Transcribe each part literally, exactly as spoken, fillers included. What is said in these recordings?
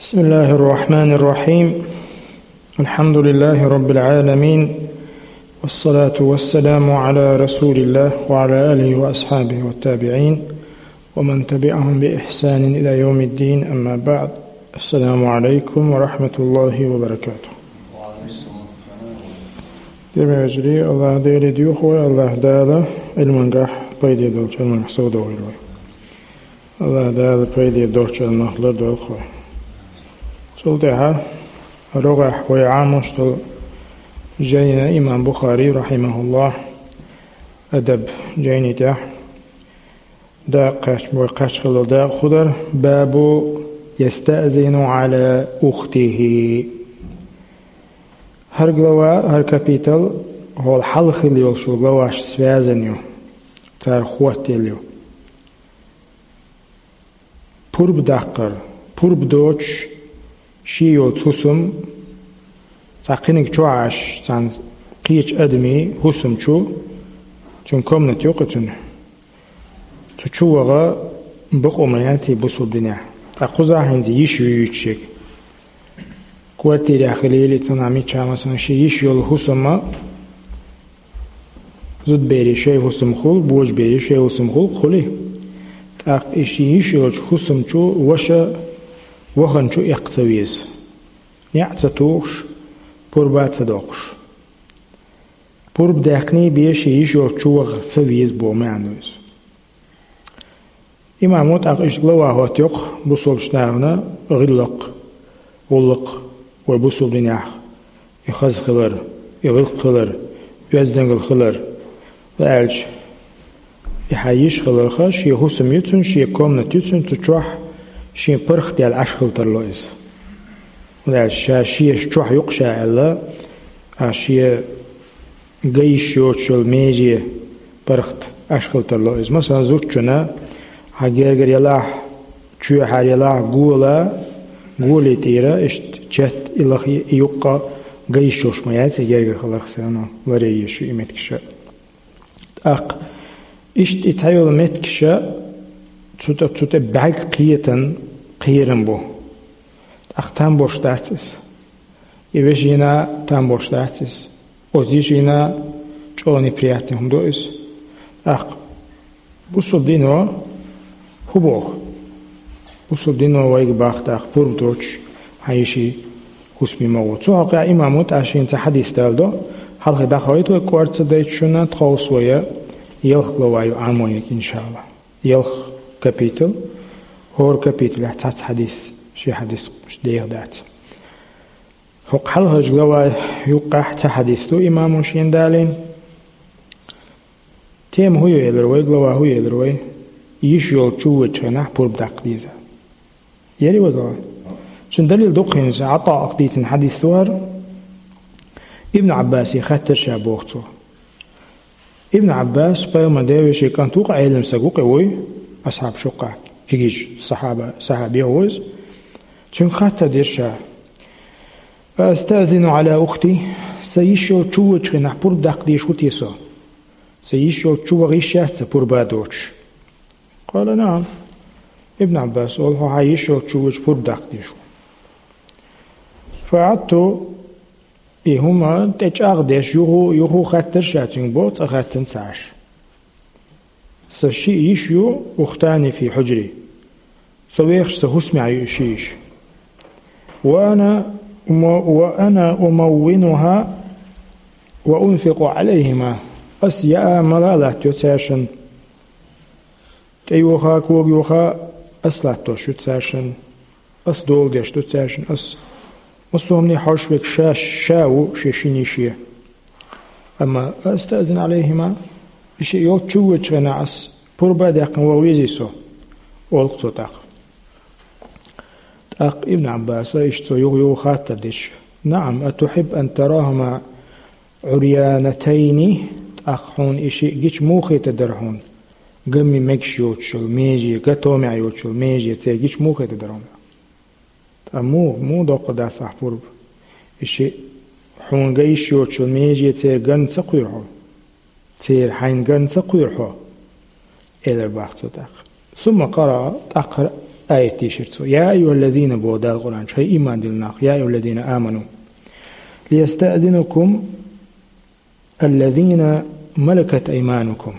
بسم الله الرحمن الرحيم. الحمد لله رب العالمين. والصلاة والسلام على رسول الله وعلى آله وأصحابه والتابعين ومن تبعهم بإحسان إلى يوم الدين، أما بعد. السلام عليكم ورحمة الله وبركاته. Деррига вежарий, Аллах Деле духу, Аллах Дала илмангахь пайде долчу, илмангахь сов догӀийла вай. Аллах Дала пайде долчу нах лардойла вай. Цул тӀаьхьа рогӀехь вай Ӏамош долу жайна имам Бухари, рахимахуллах, Адаб жайни тӀехь дакъа кхач-, вай кхачхалла дакъа хӀу дара, бабу ястаъзину Ӏала ухтихи. ХӀара глава, хӀара капитал хьол хьалха хилла йолчу главаш связан ю, цара хӀоттаелла ю. Пурба даккхар, пурба доцуш, шен йолчу хӀусам, цхьа кхиниг чу Ӏаш, цхьана кхечу адамийн хӀусам чу, цуьнан комната юкъа цуьнан, цу чу ваха бакъо ма яц бусалба динехь. Ткъа кхузахь хӀинца йиш юьйцуш ерг. Квартирехь хилийла, цунах миччахь, масалан, шен йиш йолу хӀусам а, зудберийн шайн хӀусам хуьлу, божаберийн шайн хӀусам хуьлу, хуьлий? ТӀаккха и шен йиш йолчу хӀусам чу ваша вахана чу эккха ца веза. НеӀ ца тухуш, пурба а ца доккхуш. Пурба даьккхина бен шен йиш йолчу чу ваха ца веза боху маьӀна ду иза. Имамо тӀаккха иштта глава хӀоттайо бусалбачу нахана гӀиллакх, гӀуллакх вай бусалба динехь, и хаза хилар, и гӀиллакх хилар, оьздангалла хилар, ла аьлча, и хьан йиш хиларх, шен хӀусам ю цуьнан, шен комната ю цуьнан, цу чохь шен паргӀат даьлла Ӏаш хила тарло иза. ХӀунда аьлча ша шен чохь юкъа ша аьлла, а шен ган йиш йоцуш йолу меже паргӀат Ӏаш хила тарло иза. Масалан, зудчунна хьан гергара ялахь, чоьхьара ялахь гола, голе тӀера иштта четта и лаха, и юккъе ган йиш йолуш ма яц и гергара хиларх, все равно ларъян езаш ю и меттигаш. ТӀаккха иштта и цхьайолу меттигаш цу тӀе, цу тӀе бӀаьрг кхетан кхерам бу. ТӀаккха там бош дац иза. И вешина там бош дац иза. Оцу йишина чӀогӀа неприятный хӀума ду иза. ТӀаккха бусалба дино хӀун боху? Бусалба дино вайга боху тӀаккха пурба доцуш хьан йишин хӀусаме ма гӀо. Цу хьокъехь имамо тӀаккха шена цхьа хьадис даладо, хьалхе дӀахойту вай кӀорца дайта шуна, тховса вай ялх глава ю Ӏамойниг, иншалла. Ялх капитал, хӀора капиталехь цхьацца хьадис, ши хьадис деха дац. ХӀокху хьалхарчу глава юккъехь цхьа хьадис ду имамо шена далийна. Тема хӀун ю элира вай, глава хӀун ю элира вай? Йиш йолчу чу воьдучу хенахь пурба даккха деза. Яри вай глава? Цуьнан далил ду-кх хӀинца, ГӀатаъ дийцина хьадис ду хӀара. Ибн Ӏаббасе хаттар ша боху цо. Ибн Ӏаббас, пайхамар девешин кӀант ву-кх, Ӏелам стаг ву-кх и вуй, асхьаб шуккъахь кегийчу сахьаба-, сахьабех ву иза. Цуьнга хаттар дира ша: «أستأذن على أختي؟ Сан йиш йолчу чу воьдучу хенахь пурба даккха дезаш ву те со? Сан йиш йолчу чу ваха йиш яц сан пурба доцуш?» قال: نعم. Ибн Ӏаббас олу: «Хьо хьан йиш йолчу чу воьдуш пурба даккха дезаш ву». فعدت И хӀума тӀе чӀагӀдеш, юху, юху хаттар ша цуьнга боху, цкъа хаттарна ца Ӏаш. Сан шиъ йиш ю, أختان في حجري. Со вехаш сан хӀусамехь ю и шиъ йиш. وأنا أم-، وأنا أمونها وأنفق عليهما. Ас яа, мала а латтайо цаьршинна. ТӀейоха, когайоха ас латтош ю цаьршинна. Ас дола деш ду цаьршинна, ас массо а хӀумане хьожуш верг ша, ша ву шен шина йише. Амма أستأذن عليهما, и шиъ йолчу чу воьдучу хенахь ас пурба а даьккхина ваха везий со? Олу-кх цо тӀаккха. ТӀаккха Ибн Ӏаббаса иштта цо юха-юха хаттар дича: نعم، أتحب أن تراهما عريانتين, тӀаккха хьуна и шиъ гича муха хетар дара хьуна? Гамми мегаш йоцуш йолу меже, ган томехь йоцуш йолу меже церан гича муха хетар дара хьуна? Ткъа муха, муха доккхур дац ахь пурба? И шиъ хьуна ган йиш йоцуш йолу меже церан ган ца кхуьйру хьо? Церан хьайна ган ца кхуьйру хьо? Элира боху цо тӀаккха. ثم قرأ, тӀаккха аят дийшира цо. «يا أيها الذين», боху Дала Къуръан чу, хӀай иман дилла нах, «يا أيها الذين آمنوا ليستأذنكم الذين ملكت أيمانكم».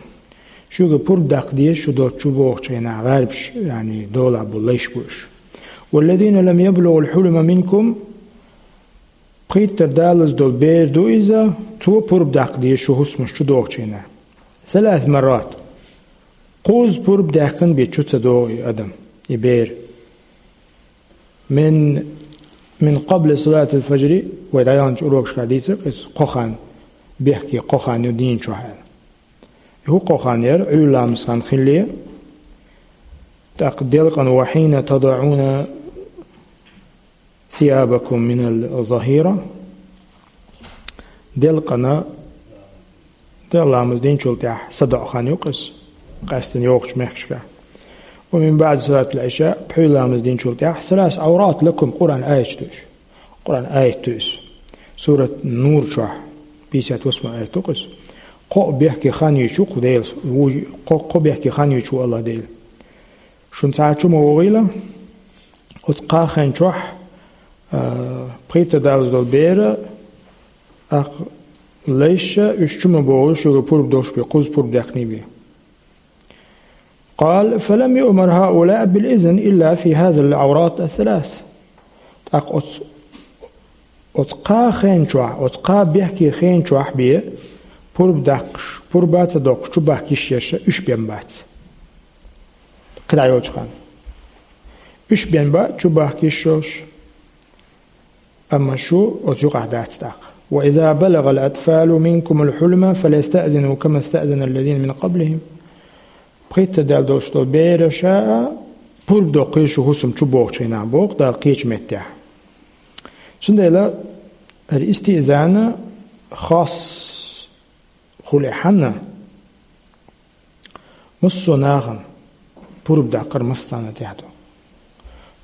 Шуьга пурба даккха деза шу долчу бохучу хенахь гӀарбаш, яъни долахь бу, лайш бу уьш. «والذين لم يبلغوا الحلم منكم», пхийттара далаза долу бер ду иза, цо пурба даккха деза шу хӀусамаш чу дохучу хенахь. «ثلاث مرات». Кхузза пурба даьккхина бен чу ца догӀу и адам, и бер. «من، من قبل صلاة الفجر», вай дӀаяханчу урокашкахь дийцира иза, кхо хан, бехке кхо хан ю дийна чохь аьлла. И хӀун кхо хан яра? Ӏуьйра ламаз хан хилале, тӀаккха делкъана «وحين تضعون ثيابكم من الظهيرة». Делкъана, делкъа ламаз динчул тӀаьхьа садоӀу хан ю иза, къаьсттина йогӀучу мехкашкахь. «ومن بعد صلاة العشاء», пхьуьйра ламаз динчул тӀаьхьа. «ثلاث عورات لكم», Къуръан аяташ ду уьш. Къуръан аят ду иза. Сурат Нур чохь, пятьдесят восьмой аят ду иза. Кхо бехке хан юьйцуш ву кху Дела, ву-, кхо, кхо бехке хан юьйцуш ву Аллах Дела. Шуна цхьа а чу ма вогӀийла, оцу кхаа хен чохь, а, пхийттара далаза долу бер а, тӀаккха лайш а, уьш чу ма богӀийла шуьга пурба долуш бен, кхузза пурба даьккхина бен. «قال: فلم يؤمر هؤلاء بالإذن إلا في هذه العورات الثلاث». ТӀаккха оцу, оцу кхаа хен чохь, оцу кхаа бехке хен чохь бен пурба даккхаш, пурба а ца доккхуш, чу бахка йиш ерш а уьш бен бац. КхидӀа йолчу ханна. Уьш бен бац, чу бахка йиш йолуш. Амма шу оцу юкъахь дац тӀаккха. «وإذا بلغ الأطفال منكم الحلم فليستأذنوا كما استأذن الذين من قبلهم». Пхийттара даьлла долуш долу бераш а пурба доккхийла шу хӀусам чу бохучу хенахь, боху Дала кхечу меттехь. Цундела хӀара истиъзан хас хуьлу хьанна, массо а нахана пурба даккхар массарна тӀехь ду.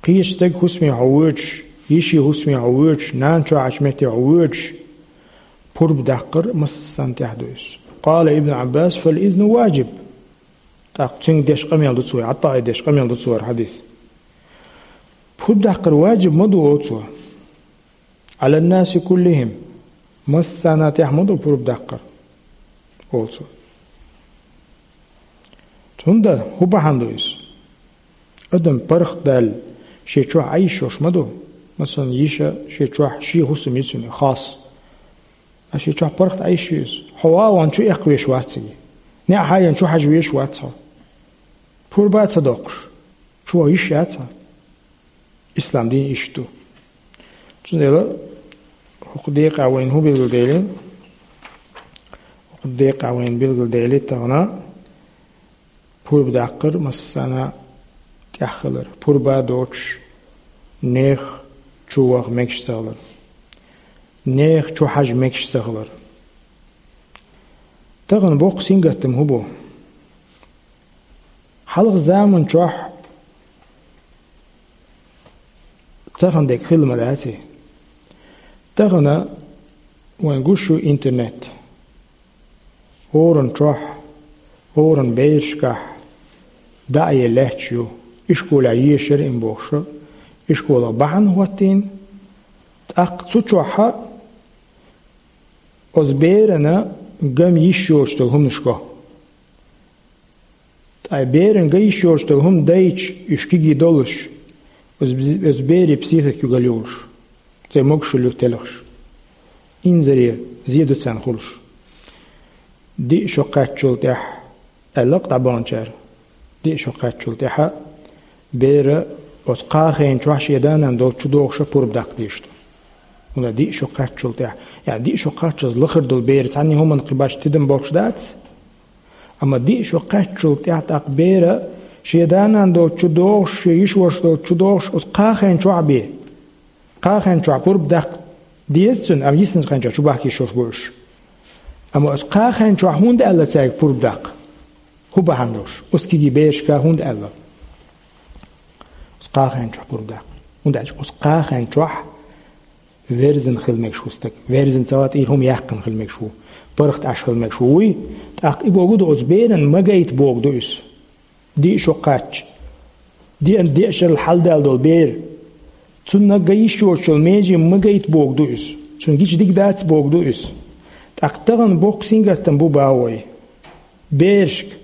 Кхечу стеган хӀусаме хьо воьдуш, йишин хӀусаме хьо воьдуш, нана чохь метте хьо воьдуш, пурба даккхар массарна тӀехь ду иза. «قال ابن عباس: فالإذن واجب». ТӀаккха цуьнга деш къамел ду цо, ГӀатаъе деш къамел ду цо хӀара хьадис. Пурба даккхар ваджиб ма ду, олу цо. «على الناس كلهم», массарна тӀехь ма ду пурба даккхар, олу цо. ХӀунда, хӀун бахьана ду иза? Адам паргӀатдаьлла шен чохь Ӏайшош ма ду. Масалан, йиша шен чохь шен хӀусам ю цуьнан, хас. Ткъа шен чохь паргӀат Ӏайш ю иза. Хьо вагӀан чу эккхавеш вац цига. НеӀ хьаян чу хьажа веш вац хьо. Пурба а ца доккхуш, чу ваха йиш яц хьан. Ислам дин иштта ду. Цундела хӀокху декъехь вайна хӀун билгалдели? ХӀокху декъехь вайна билгалдели тахана пурба даккхар массарна тӀехь хилар. Пурба а доцуш, нехан чу ваха мегаш ца хилар. Нехан чу хьажа мегаш ца хилар. Тахана боккха сингаттам хӀун бу? Хьалха заман чохь тахана дерг хилла ма дац и. Тахана вайн гуш ю интернет. ХӀоранна чохь, хӀоранна берашкахь дӀа а е лаьтташ ю. Ишколехь ешара им бохуш, ишколах бахьана хӀоттийна, тӀаккха цу чохь а оцу берана ган йиш йоцуш долу хӀуманаш го. Ткъа беран ган йиш йоцуш долу хӀума дайча, уьш кегий долуш, оцу бз-, оцу берийн психика югалуьйш, церан могушалла юха телхаш, инзаре зе ду царна хуьлуш. Диъ шо кхаьччул тӀаьхьа, аьлла-кх дӀабаханчара, диъ шо кхаьччул тӀаьхьа бер оцу кхаа хен чохь шен да-нана долчу чу догӀуш а пурба даккха дезаш ду. ХӀунда диъ шо кхаьччул тӀаьхьа, яъни диъ шо кхаччалц лахара долу бер цхьанна хӀуманна кхин башха тидам болуш дац? Амма диъ шо кхаьччул тӀаьхьа тӀаккха бер шен да-нана долчу чу догӀуш, шен йиша-ваша долчу чу догӀуш, оцу кхаа хен чохь бен. Кхаа хен чохь пурба даккха деза цуьнан, амма йисинчу хен чохь чу бахка йиш йолуш бу уьш. Амма оцу кхаа хен чохь хӀунда аьлла цаьрга пурба даккха? ХӀун бахьана долуш? Оцу кегий берашка хӀунда аьлла оцу кхаа хен чохь пурба даккха? ХӀунда аьлча оцу кхаа хен чохь верзина хила мегаш ву стаг. Верзина ца вац, тӀера хӀума яьккхина хила мегаш ву. ПаргӀат Ӏаш хила мегаш ву. Вуй, тӀаккха и бохург ду, оцу беран ма гайта бохург ду иза. Диъ шо кхачча, Деана деа шерал хьалдала долу бер. Цунна ган йиш йоцуш йолу меже ма гайта бохург ду иза. Цунна гича дика дац бохург ду иза. ТӀаккха тахана боккха сингаттам бу боху вай. Берашка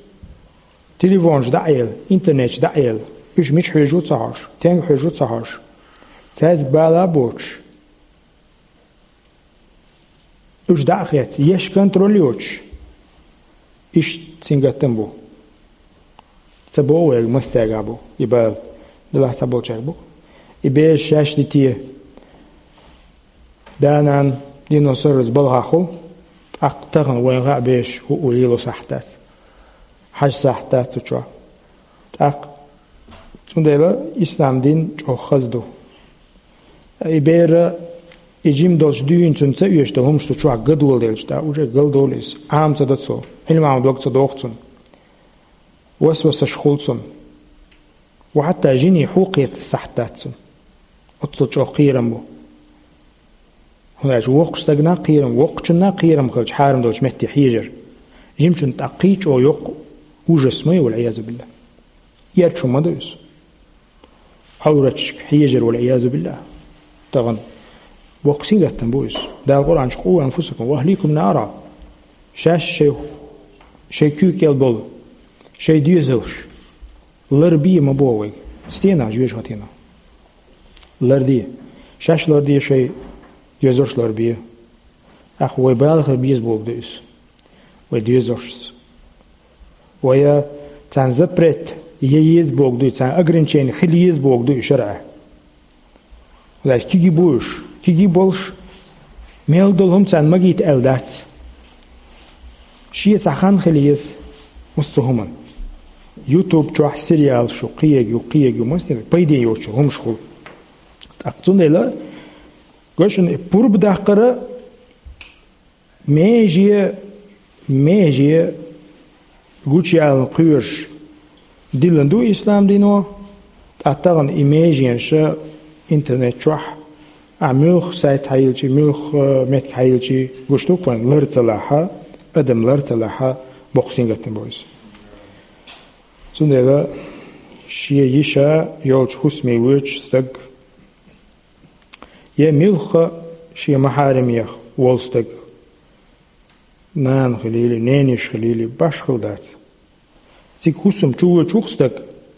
телефонаш дӀа а елла, интернеташ дӀа а елла, уьш мича хьоьжу ца хьожуш, стенга хьоьжу ца хьожуш, цаьрца бала а боцуш, уьш дӀа а хецна, еш контроль йоцуш, иштта сингаттам бу. Ца боху вайга, массаьрга бу и бала, делахь цхьаболчаьрга бу. И бераш шаьш дите, да-нана дийно сарралц балхахь хуьлу, тӀаккха тахана вайна хаьа бераш хӀуъу лело сахьт дац, хьажа сахьт дац цу чохь. ТӀаккха, цундела ислам дин чӀогӀа хаза ду. И бер, и жима долуш дуьйна цунна ца оьшу долу хӀумаш цу чохь ган доладелча, тӀаккха уже галдолу иза. Ӏама ца до цо, Ӏилма Ӏама дог ца доху цунна. Васвасаш хуьлу цунна. Ва хьатта жине хьу кхета сахьт дац цунна. Оццул чӀогӀа кхерам бу. ХӀунда аьлча воккхачу стагана кхерам, воккхачунна кхерам хилча, хьарам долчу метте хьежар. Жимачунна тӀаккха кхин а чӀогӀа йоккха ужас ма ю, валӀиязу биллахӀ. Эрчу ма ду иза. Ӏавраташка хьежар, валӀиязу биллахӀ. Тахана боккха сингаттам бу иза. Дала Къуръан чу: «Къу анфусакум ва ахликум нара». Шаьш шайн, шайн куьйга кӀел болу, шайн доьзалш ларбе ма боху вайга. Стенахь, жоьжахатенахь. Ларде. Шаьш ларде, шайн доьзалш ларбе. ТӀаккха вай бала хила беза бохург ду иза. Вай доьзалшца. Вай царна запрет е еза бохург ду иза, царна ограничение хила еза бохург ду иза шарӀехь. Вай кегий бу уьш, кегий болуш, мел долу хӀума царна магийта аьлла дац. Шен цхьа хан хила еза массо а хӀуманна. YouTube чохь сериалаш ю, кхиерг ю, кхиерг ю, массо а пайде йоцуш хӀумаш хуьлу. ТӀаккха цундела, гой шуна, и пурба даккхара меже, меже гучуялан кхоьруш диллина ду ислам дино, тӀаккха тахана и меженаш интернет чохь, ахь муьлхха сайт хьайиллча, муьлхха меттиг хьайиллча, гуш ду-кх вайна, лар ца лахь, адам лар ца лахь, боккха сингаттам бу иза. Цундела шен йиша йолчу хӀусаме воьдуш стаг, я муьлхха шен махьарамех волу стаг, нана хилийла, нениш хилийла, башхалла дац. Цига хӀусам чу воьдуш ву-кх стаг,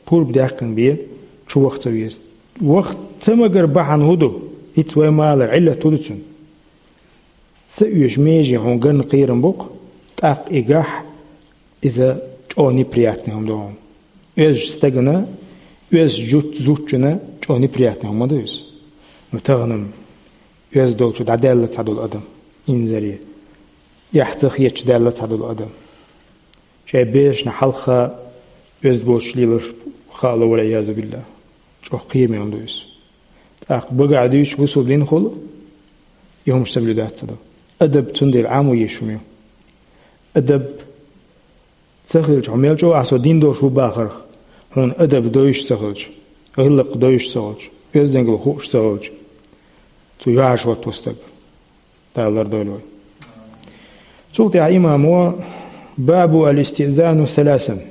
пурба даьккхина бен, чу ваха ца веза. Ваха ца магар бахьана хӀун ду? ХӀинца вай ма аллара, Ӏиллат хӀун ду цуьнан? Ца оьшу меже хьуна ганна кхерам бу-кх, тӀаккха и гахь, иза чӀогӀа неприятный хӀума ду хьуна. Оьзучу стагана, оьзучу зуд-, зудчунна чӀогӀа неприятный хӀума ма ду иза. Ну, тахана-м оьзда долчу дӀадаьлла цхьа долу адам, инзаре, эхь ца хеташ даьлла цхьа долу адам. Шайн берашна хьалха оьзда боцуш лелар хаало, валӀиязу биллахӀ. ЧӀогӀа кхераме хӀума ду иза. ТӀаккха багахь дуьйцуш бусулба динахула и хӀумаш соблюдать ца до. Адаб цундела Ӏамо езаш хӀума ю. Адаб ца хилча, хьо мел чӀогӀа ахь со дин долуш ву бахарх, хьуна адаб дойуш ца хилча, гӀиллакх дойуш ца хилча, оьздангалла хууш ца хилча, цу юьхьӀаьржа хӀоттаво стаг. Дала лардойла вай. Цул тӀаьхьа имамо: «Бабу аль-истиъзану саласан».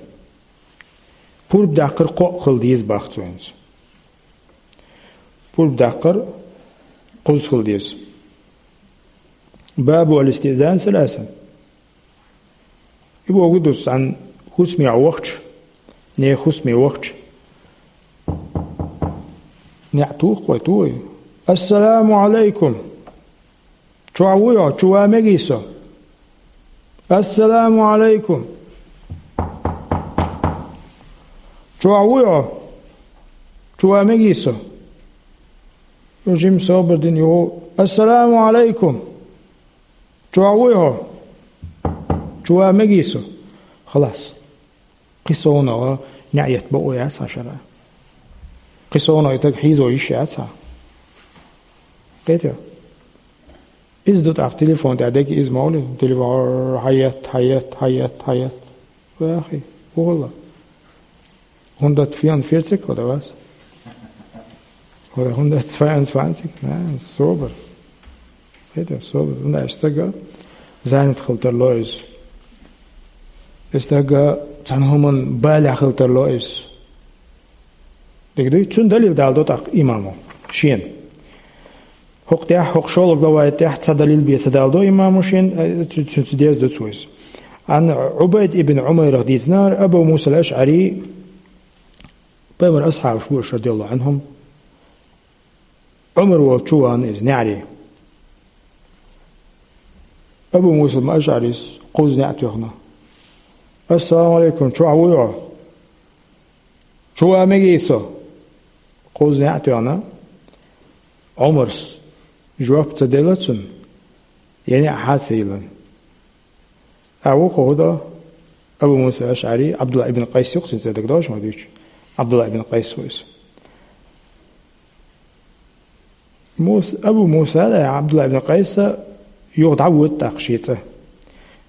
Пурба даккхар кхоъ хила деза, бах цо хӀинца. Пурба даккхар кхузза хила деза. «Бабу аль-истиъзану саласан». И бохург ду, цхьана хӀусаме вахча, нехан хӀусаме вахча, неӀ туху-кх вай, туху вай: «Ассаламу Ӏалайкум! Чохь вуй хьо? Чу ван мегий со? Ассаламу Ӏалайкум! Чохь вуй хьо? Чу ван мегий со?» Жима собар дина юху: «Ассаламу Ӏалайкум! Чохь вуй хьо? Чу ван мегий со?» Халас. Кхин совнагӀа неӀ етта бакъо яц хьан шарахь. Кхин совнагӀа и стаг хьийзо йиш яц хьан. Кхетий? Иза ду тӀаккха телефон тӀехь дерг, иза ма хуьлий? Телефон хьаетта, хьаетта, хьаетта, хьаетта. Вахи, вугӀалла. Хьунда тфиан ферцик хӀо да вас? Хьо хьунда цваан цваанцик? А, собар. Хета, собар. ХӀунда аьлча стага занят хила тарло иза. И стага цхьана хӀуман балехь хила тарло иза. Дика дуй, цунна далил далдо тӀаккха имамо шена. ХӀокху тӀехь, хӀокху шолгӀа главай тӀехь цхьа далил бен ца далдо имамо шена, э, цу-, цу-, цуьнца деза ду цо иза. Ан Ӏубайд ибн Ӏумайрах дийцинера, Абу Муса ал-АшӀари, пайхамар асхьабаш бу уьш, радияллаху Ӏанхум, Ӏумар волчу вахана иза неӀаре. Абу Муса ал-АшӀарис кхузза неӀ тоьхна: «Ассаламу Ӏалайкум, чохь вуй хьо? Чу ван мегий со?» Кхузза неӀ тоьхна, Ӏумарс жоп ца делла цунна, я неӀ хьа ца йиллина. А вукхо хӀун до? Абу Муса АшӀари, Ӏабдулла ибн Къайс ю-кх цуьнан цӀе, дагадогӀу шуна ма дуьйцу? Ӏабдулла ибн Къайс ву иза. Мус-, Абу Муса а, Ӏабдулла ибн Къайса юха дӀавоьду тӀаккха шен цӀа.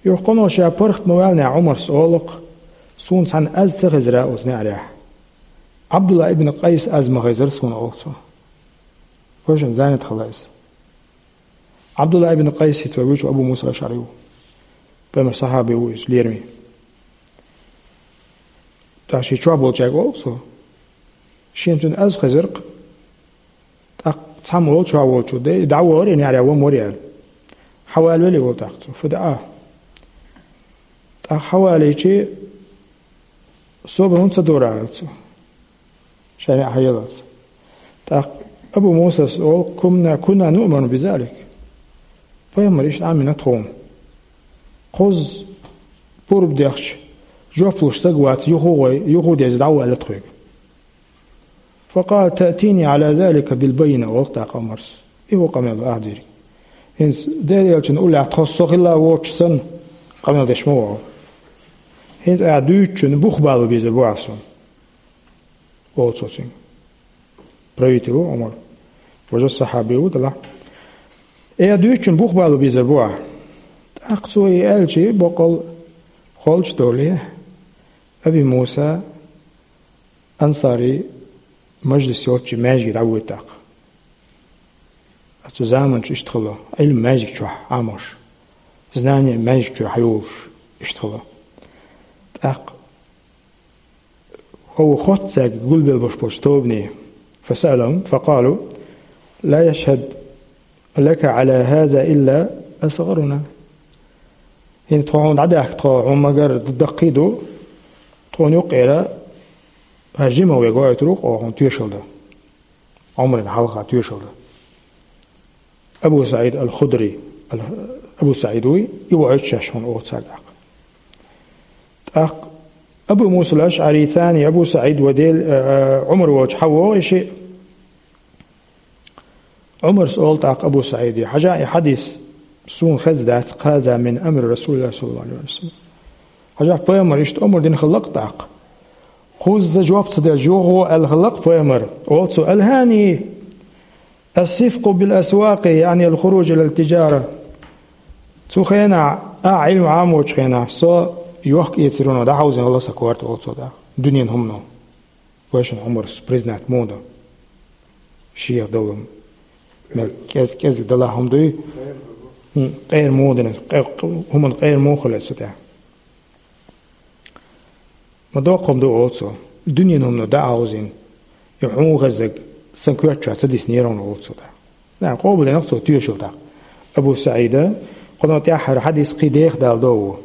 Юха кхунах ша паргӀат ма ваьллинехь, Ӏумарс олу-кх: «Суна цхьанна аз ца хезира оцу неӀарехь». Ӏабдулла ибн Къайса аз ма хезира суна, олу цо. Вайшинна занят хилла иза. Ӏабдулла ибн Къайс хӀинца вай вуьйцу Абу Муса ал-АшӀари ву. Пайхамар сахьаби ву иза, лераме. ТӀаккха шен чохь болчаьрга олу цо: «Шена цуьнан аз хезира-кх». ТӀаккха цхьамма олу чохь волчо: «Де, и дӀавахара и неӀаре, ван вара», — аьлла. Хьавалавелла волу тӀаккха цо, фу даьа. ТӀаккха хьавалийча, собар хӀунда ца дора, аьлла цо. Шайн неӀ хьаеллалц. ТӀаккха Абу Мусас олу: «Кунна, кунна нуъману бизалик». Пайхамар иштта Ӏамийна тхуна. Кхузза пурба дехча, жоп луш стаг вац, юха а гӀой, юха а деза, дӀа а ваьлла тхоьга. «Факъала: таътини Ӏала залика билбаййина», — олу тӀаккха Ӏумарс. И ву къамел, ахь дийриг. ХӀинца Делан элчанан уллехь тхо со хилла воцуш санна, къамел деш ма ву. ХӀинца ахь дуьйцучунна бух бала безар бу ахь суна, олу цо цуьнга. Правитель ву Ӏумар. Важа сахьаби ву делахь. Э, дуьйцучунна бух бала безар бу ахь. ТӀаккха цо и аьлча, боккъал холчу доле, Аби Муса Ансари мажлис йолчу маьждиге дӀавоьду тӀаккха. Оцу заманчу иштта хилла, Ӏилма маьждиг чохь Ӏамош, знание маьждиг чохь хьайолуш, иштта хилла. ТӀаккха хӀокху хоттаьрга гулбелла болуш болчу тобане: «Фасаъалахум, факъалу: ла яшхьаду лака Ӏала хаза илла асгӀаруна». ХӀинца тхо хьуна дӀадаьхка, тхо хьуна магар даккхий ду, тхуна юккъера хьан жимах вега ойтур ву, хьуна тоьшалла дан. Ӏумарна хьалха тоьшалла дан. Абу СаӀид ал-Худри, ал-, Абу СаӀид вуй, и ву ойтуш шаьш хьуна оха цара тӀаккха. ТӀаккха Абу Муса ал-АшӀари царний Абу СаӀид ва Дел-, а, а, Ӏумар волчу хьан вогӀу и шиъ? Ӏумарс олу тӀаккха Абу СаӀиде: «Хьажа, и хьадис суна хезна дац, хаза мин амри Расулиллахи саллаллаху Ӏалайхи ва саллам». Хьажа, пайхамар иштта омра дина хилла-кх тӀаккха. Кхузза жоп ца делча, юха гӀо аьлла хилла-кх пайхамар. Олу цо: «Алхани ас-сифкъу бил асвакъи, яъни ал-хуруж илал тижара». Цу хенахь, а, Ӏилма Ӏамочу хенахь, со йохк-эцаро дӀахьовзина хилла сан корта, олу цо тӀаккха, дуьненан хӀумано. Вайшинна Ӏумарс признать муха до? Шех долу мел кӀез-, кӀезиг далахь хӀума дуй? ХӀун, къера муха дина, къе-, хӀуманна къера муха хилла со тӀехь? Ма доккха хӀума ду, олу цо. Дуьненан хӀумано дӀахьовзийна. И хьуна хезнарг сан коьрта чохь ца диснера хьуна, олу цо тӀаккха. Нах къобалдина-кх цо тоьшалла тӀаккха. Абу СаӀида, кхунах тӀаьххьара хьадис кхин деха далдо ву.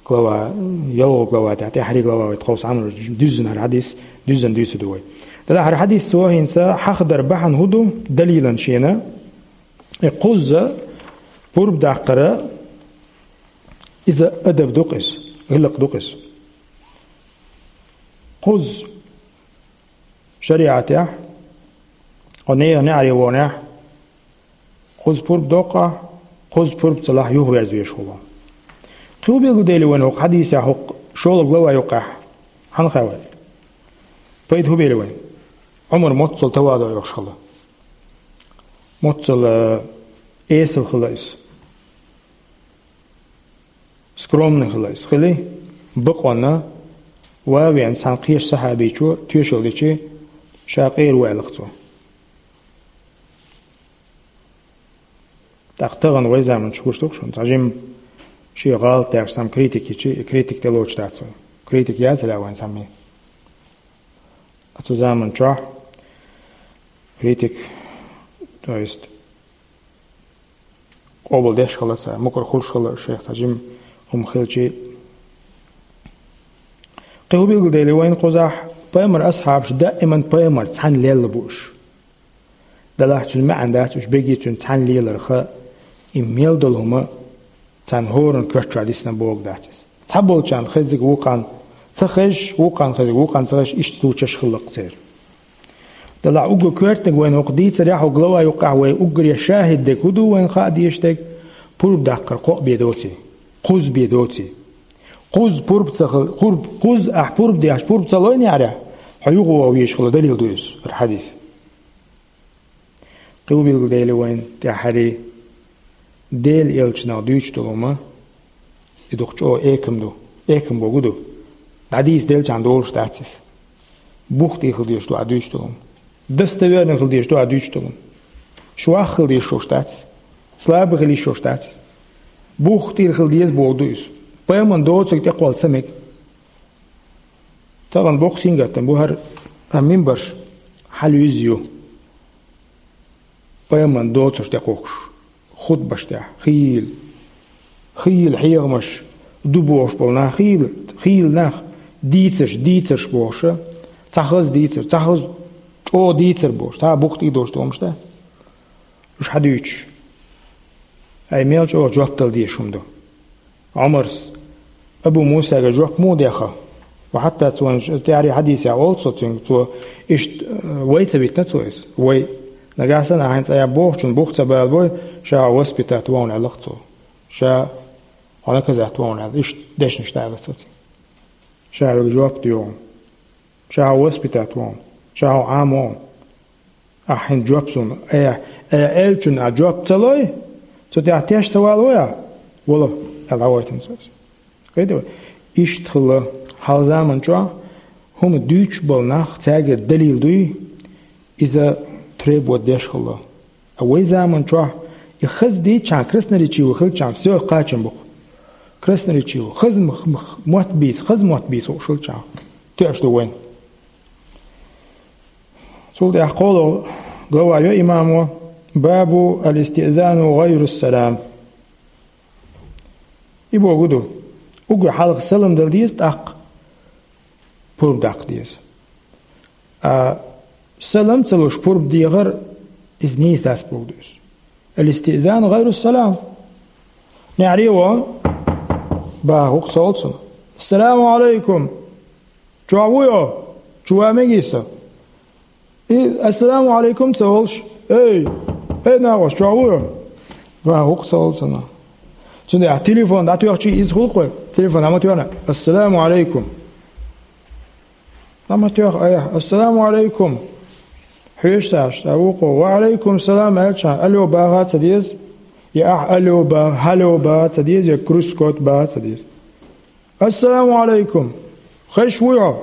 Глава, ялхо глава тӀехь, тӀаьххьара глава вай тховса Ӏамр, дуьззина хӀара хьадис, дуьззина дуьйцур ду вай. Делахь хӀара хьадис цо хӀинца хьахадар бахьана хӀун ду, далилан шена, и кхузза пурба даккхара, иза адаб ду-кх иза, гӀиллакх ду-кх иза. Кхузза шариӀатехь, хьо нехан неӀаре вонехь, кхузза пурба доккху ахь, кхузза пурба ца лахь, юхаверза везаш хуьлу. Кхин хӀун билгалдели вайна хӀокху хьадисехь, хӀокху шолгӀа глава юккъехь? Хьан хаьа вайна? Пайда хӀун бели вайна? Ӏумар моццал таваду йолуш хилла. Моццал, э, эсала хилла иза. Скромный хилла иза. Хили, бакъонна, ван а веана, цхьана кхечу сахьабичо тоьшалла дичи, ша къера ву аьлла-кх цо. ТӀаккха тахана вай заманчу гуш ду-кх шуна, цхьа жимма шен гӀалат даьржа цхьамма критика йичи, и критика тӀелоцуш дац вай. Критика яц лаьа вайн цхьамма. Цу заман чохь критик, то есть къобалдеш хилла цара, мукъар хуьлуш хилла шех цхьа жима хӀума хилчий. Кхин хӀун билгалдели вайна кхузахь, пайхамар асхьабаш даиман пайхамар цхьаьна лелла бу уьш. Делахь цуьнан маьӀна дац уьш бегий цуьнан цхьаьна леларх, и мел долу хӀума царна хӀоранна коьрта чохь дисина бохург дац иза. Цхьаболчарна хеззиг вукхарна ца хезаш, вукхарна хеззиг вукхарна ца хезаш, иштта случаеш хилла-кх церан. Делахь уггар коьртаниг вайна хӀокху дийцарехь, хӀокху глава юккъехь вай уггаре шахӀид дерг хӀун ду вайна хаа дезаш дерг? Пурба даккхар кхоъ бен доций? Кхузза бен доций? Кхузза пурба ца хила, пурба, кхузза ахь пурба деш, пурба ца лой неӀарехь, хьо юха ваха везаш хилла далил ду иза, хӀара хьадис. Кхин хӀун билгалдели вайна тӀаьххьара, Делан элчанах дуьйцуш долу хӀума, и дукха чӀогӀа экам ду, экам богу ду. ДӀадийца делчарна долуш дац иза. Бух тӀера хила дезаш ду ахь дуьйцуш долу хӀума. Достоверный хила дезаш ду ахь дуьйцуш долу хӀума. Швах хила дезаш долуш дац иза. Слабый хила йиш йолуш дац иза. Бух тӀера хила деза боху ду иза. Пайхамарна доцург тӀекхолла ца мега. Тахана боккха сингаттам бу хӀара, а минбарш хьалуьйзу ю. Пайхамарна доцурш тӀекхухкуш, хутбаш тӀехь, хийла, хийла хьехамаш ду бохуш болу нах, хийла, хийла нах, дийцарш, дийцарш бохуша, цхьа хаза дийцар, цхьа хаза чӀогӀа дийцар бохуш, цхьа бух тӀе долуш долу хӀумаш да? Уьш хьадуьйцуш, ай, мел чӀогӀа жоп дала дезаш хӀума ду. Ӏумарс, Абу Мусага жоп муха деха? Ва хьатта цо тӀаьххьара хьадисехь олу цо цуьнга, цо иштта, э, вай ца витина цо иза, вай. Нагахь санна ахьа хӀинца айхьа бохучунна бух ца балабой, ша хьо воспитать вахана аьлла-кх цо. Ша хьо наказать вахана аьлла, иштта дешнаш даьлла цо цуьнга. Ша хьоьга жоп доьху. Ша хьо воспитать вахана. Ша хьо Ӏамавахана. Ахьа хӀинца жоп суна, э, э, элчанна ахьа жоп ца лой, цу тӀехь теш ца валавой ахьа? Вала, аьлла, дӀагӀойтина цо иза. Кхетий вай? Иштта хилла хьалха заман чохь хӀума дуьйцуш болу нах, цаьргара далил дуй, иза требовать деш хилла. А вай заман чохь и хаза дийцчахьана, красноречивый хилчахьана, всё, кхачам бу-кх. Красноречивый, хаза м-, м-, мотт бийца, хаза мотт бийца хууш хилчахьана, тоьаш ду вайна. Цул тӀаьхьа кхоалгӀа глава йо имамо: «Бабу ал-истиъзану гӀайру салам». И бохург ду, уггар хьалха салам дала деза, тӀаккха пурба даккха деза. А салам ца луш пурба дехар, иза нийса дац бохург ду иза. Ал-истиъзану гӀайру салам. НеӀаре вахана, баха хӀума ца олу цунна: «Ассаламу Ӏалайкум! Чохь вуй хьо? Чу ван мегий сан?» И «Ассаламу Ӏалайкум» ца олуш: «Эй, эй, накъост, чохь вуй хьо?» Баха хӀума ца олу цунна. Цундела телефон дӀатоьхчий, иза хуьлу-кх вай. Телефон дӀа ма тоьхна: «Ассаламу Ӏалайкум». Ма тоьхна айхьа: «Ассаламу Ӏалайкум». Хьоьжуш цхьа, цхьа вукхо: «Ва Ӏалайкум салам», аьлчахьана, «Алло» баха а ца деза, я ахьа «алло» баха, «хьало» баха а ца деза, я крючкот баха а ца деза. «Ассаламу Ӏалайкум! Хезаш вуй хьо?»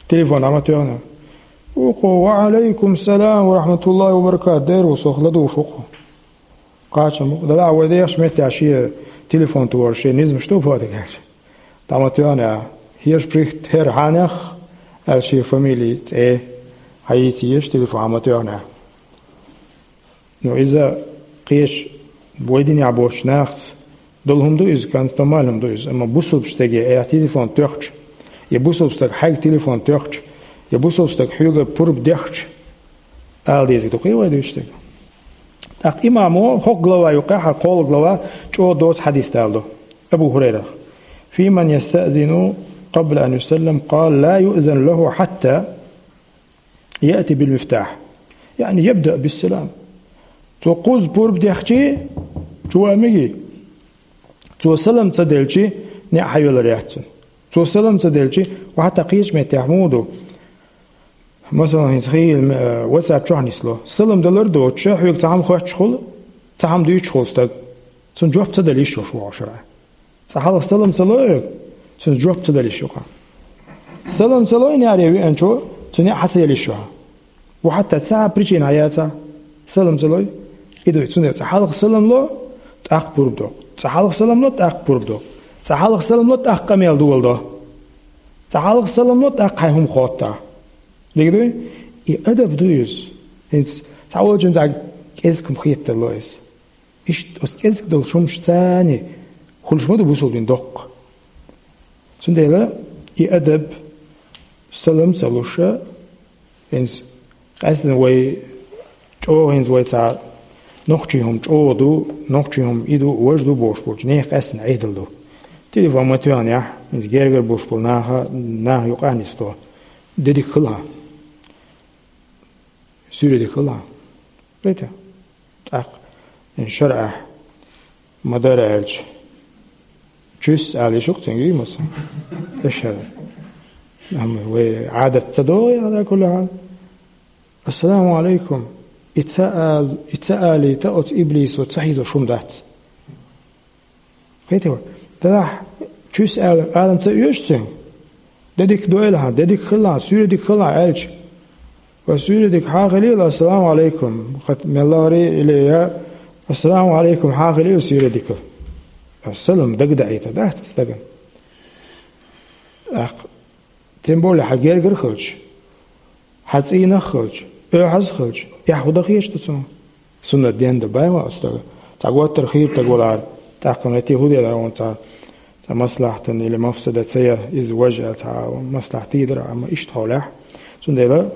Телефон дӀа ма тоьхна. Вукхо: «Ва Ӏалайкум салам ва рахьматуллахӀи ва баракатухӀ», дера ву, сох ладугӀуш ву-кх. Кхачам бу-кх. Делахь вай дехачу меттехь шен телефон тохар шен низамаш ду бохург аьлча. ДӀа ма тоьхна, хӀирш прихт хӀера хьанех, аьлла шен фамилий, цӀе хьайийца езаш, телефон хьа ма тоьхна. Ну, иза кхечу вай динехь боцучу нахаца долу хӀума ду иза, кӀант, нормально хӀума ду иза. Амма бусулба стаге айхьа телефон тоьхча, я бусулба стаг хьайга телефон тоьхча, я бусулба стаг хьоьга пурба дехча, ала дезиг ду-кх вай дуьйцуш дерг. ТӀаккха имамо хӀокху глава юккъехь, хӀара кхоалгӀа глава, чӀогӀа доцу хьадис даладо Абу ХӀурайрах: «Фи ман ястаъзину къабла ан юсаллам, къала: ла юъзану лахӀу хьатта яъти бил мифтахь, яъни ябдаъ бис салам». Цо кхузза пурба дехчий, чу ван мегий? Цо салам ца делчий, неӀ хьайоьллур яц цунна. Цо салам ца делчий, ва хьатта кхечу меттехь муха ду? Масалан, хӀинца хийла, э, WhatsApp чохь нисло. Салам далар доцуша, хьоьга цхьа хӀума хоьттуш хуьлу, цхьа хӀума дуьйцуш хуьлу стаг. Цунна жоп ца дала йиш йолуш ву хьо шарахь. Цкъа хьалха салам ца лой хьоьга, цунна жоп ца дала йиш ю-кх хьан. Салам ца лой неӀаре веанчо, цуьнан неӀ хьа ца яла йиш ю хьан. Ва хьатта цхьа а причина хьаяцахь, салам ца лой, и ду, цундела цкъа хьалха салам ло, тӀаккха пурба до. Цкъа хьалха салам ло, тӀаккха пурба до. Цкъа хьалха салам ло, тӀаккха къамел доладо. Цкъа хьалха салам ло, тӀаккха хьайн хӀума хоттахь. Дика дуй? И адаб ду иза. ХӀинца цхьа волчун цхьа кӀезиг-м хетаргдолаш иза. Иштта оцу кӀезиг долчу хӀуманашца хуьлуш ма ду бусулба дин доккха. Цундела и адаб, салам ца луш, хӀинца къаьстина вай чӀогӀа, хӀинца вай цхьа нохчийн хӀума чӀогӀа ду, нохчийн хӀума и ду, важа ду бохуш болчу нехан къаьстина Ӏедал ду. Телефон ма тоьхнехь, хӀинца гергара болуш болу наха, наха юкъа а нисдо. Де дика хила хьан. Суьйре дика хила хьан. Гайта. ТӀаккха, ин шарӀахь ма-дарра аьлча, чуьс ала йиш ю-кх цуьнга, масала. Эшхьа. Амма вай Ӏадат ца догӀу, ала кулли хьал. Ассаламу алайкум. И ца ал-, и ца алийта оцу иблисо ца хьийзош хӀума дац. Кхетий вай? Делахь чуьс ала, ала ца оьшу цуьнга. Де дика дойла хьан, де дика хила хьан, суьйре дика хила хьан аьлча. Ва суьйре дика хьан хилийла, ассаламу алайкум. Хат меллагӀаре или я, ассаламу алайкум хьан хилийла суьйре дика. Ассалам дагадаийта дац стагана. ТӀаккха, тем более, хьан гергара хилча, хьан цӀийнах хилча, оьхьаз хилча, эхь хӀун дан хеташ ду цунах? Суннат ден дан бай ма аса дара. Цхьа готтар хийра таг валахьара, тӀаккха метте хӀун дела вон цхьа, цхьа маслахьтан или мафсада ца я, иза важа цхьа маслахьтий дара, амма иштта хьолехь. Цундела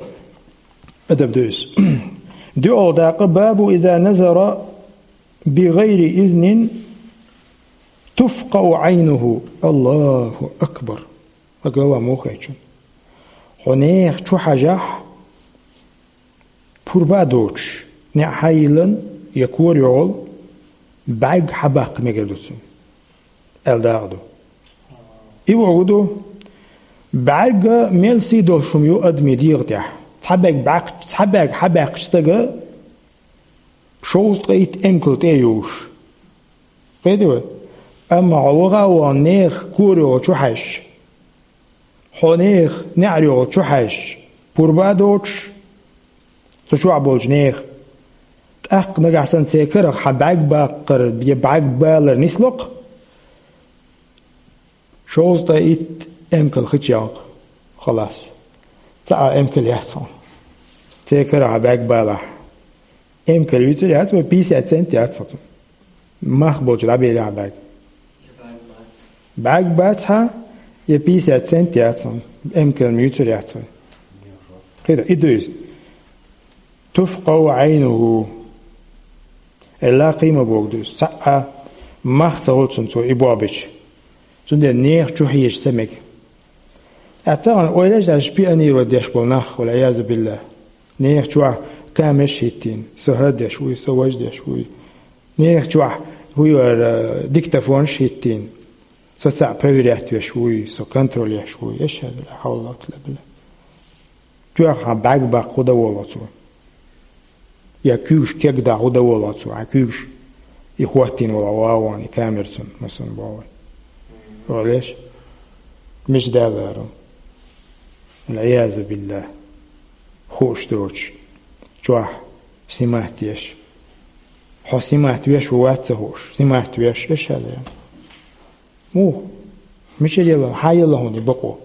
адаб ду иза. ДуьгӀал дакъа бабу иза назара би гӀайри изнин туфкъау Ӏайнуху. Аллаху акбар! Ха глава мухайчун. Хьо нехан чу хьажахь, пурба а доцуш, неӀ хьайиллан я кора йогӀал, бӀаьрг хьабаккха мегар ду цуьнан, аьлла дакъа ду. И боху ду, бӀаьрга мел сий долуш хӀума ю адамийн дегӀа тӀехь. Цхьа бӀаьрг баккх-, цхьа бӀаьрг хьабаьккхича стага, шовзткъе итт эмкал тӀе а юуш. Кхетий вай? Амма хьо ваха а вахана нехан кора йогӀал чу хьаьжча, хьо нехан неӀар йогӀал чу хьаьжча, пурба а доцуш, цу чохь болчу нехан, тӀаккха нагахь санна церан карах хьан бӀаьрг баккхар я бӀаьрг балар нисло-кх, шовзткъе итт эмкал хи чу ялкъа, халас. Цхьа а эмкал яц хьуна. Церан карах хьан бӀаьрг балахь. Эмкал юьйцур яц вай, пятьдесят цент яц хьуна. Мах болчу дӀабелахь бӀаьрг. БӀаьрг бац хьан, я пятьдесят цент яц хьуна. Эмкал юьйцур яц вай. Кхетий, и ду иза. Туфкъау Ӏайнуху. Элла кхийма боху ду иза. Цхьа а мах ца хуьлу цунна цо и бохьабича. Цундела нехан чу хьежа ца мега. Ткъа тахана ойла еш дац шпионировать деш болу нах, валь-Ӏиязу биллахӀ. Нехан чохь камераш хӀиттийна, со хӀара деш вуй, со важа деш вуй. Нехан чохь хӀун ю ара, диктофонаш хӀиттийна, со цхьаъ проверять веш вуй, со контроль еш вуй. Эшхьаду ла хьавла ва ла къуввата илла биллахӀ. Чохь хьан бӀаьрг баккха хӀун дан волу цо? Я куьйгаш кегдан хӀун дан волу цо? Хьан куьйгаш и хӀоттийна волу вагӀон, и камерцун, масалан, боху вай. Олеш? Мича далара? Валь-Ӏиязу биллахӀ. Хууш доцуш. Чохь снимать еш. Хьо снимать веш ву вац ца хууш. Снимать веш, эшхьаду. Муха? Мичара елла, хьан елла хьуна и бакъо?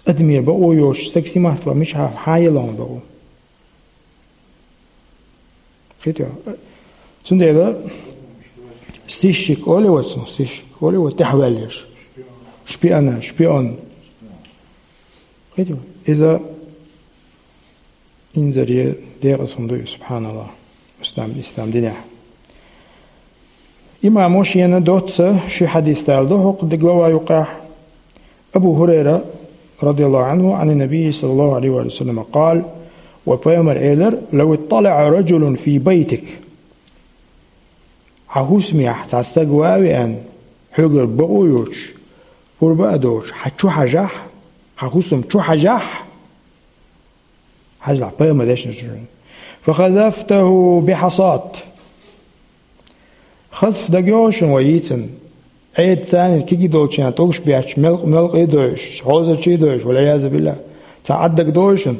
Адамера бакъо йоцуш стаг снимать ван, мичахьа, хьан елла хьуна бакъо? Кхетий? Цундела сыщик олий вай цунах, сыщик олий вай тӀаьхьаваьлларш. Шпиона, шпион. Кхетий? Иза инзаре декъаза хӀума ду иза, субхьаналлахӀ, ислам, ислам динехь. Имамо шена доцца ши хьадис далла ду хӀокху глава юкъахь. Абу ХӀурайра, радияллаху Ӏанху, Ӏан набий, саллаллаху Ӏалайхи ва саллама, къала, ва пайхамар элира: «Лав итталаӀа раджулун фи байтик». Хьан хӀусамехь цхьа стаг ван а веана, хьоьгара бакъо а йоцуш, пурба а доцуш, хьан чу хьажахь, хьан хӀусам чу хьажахь, хьажахь, пайхамар дешнаш ду шуна. «Фахазафтаху бихьасат». Хазф дагайогӀу шуна вай йийцина. Ӏеда царниг кегий долчарна тӀулгаш бетташ, мелкъ-, мелкъий а дойуш, хьозарчий а дойуш, валь-Ӏиязу биллахӀ. Цхьа Ӏад дагадогӀу шуна?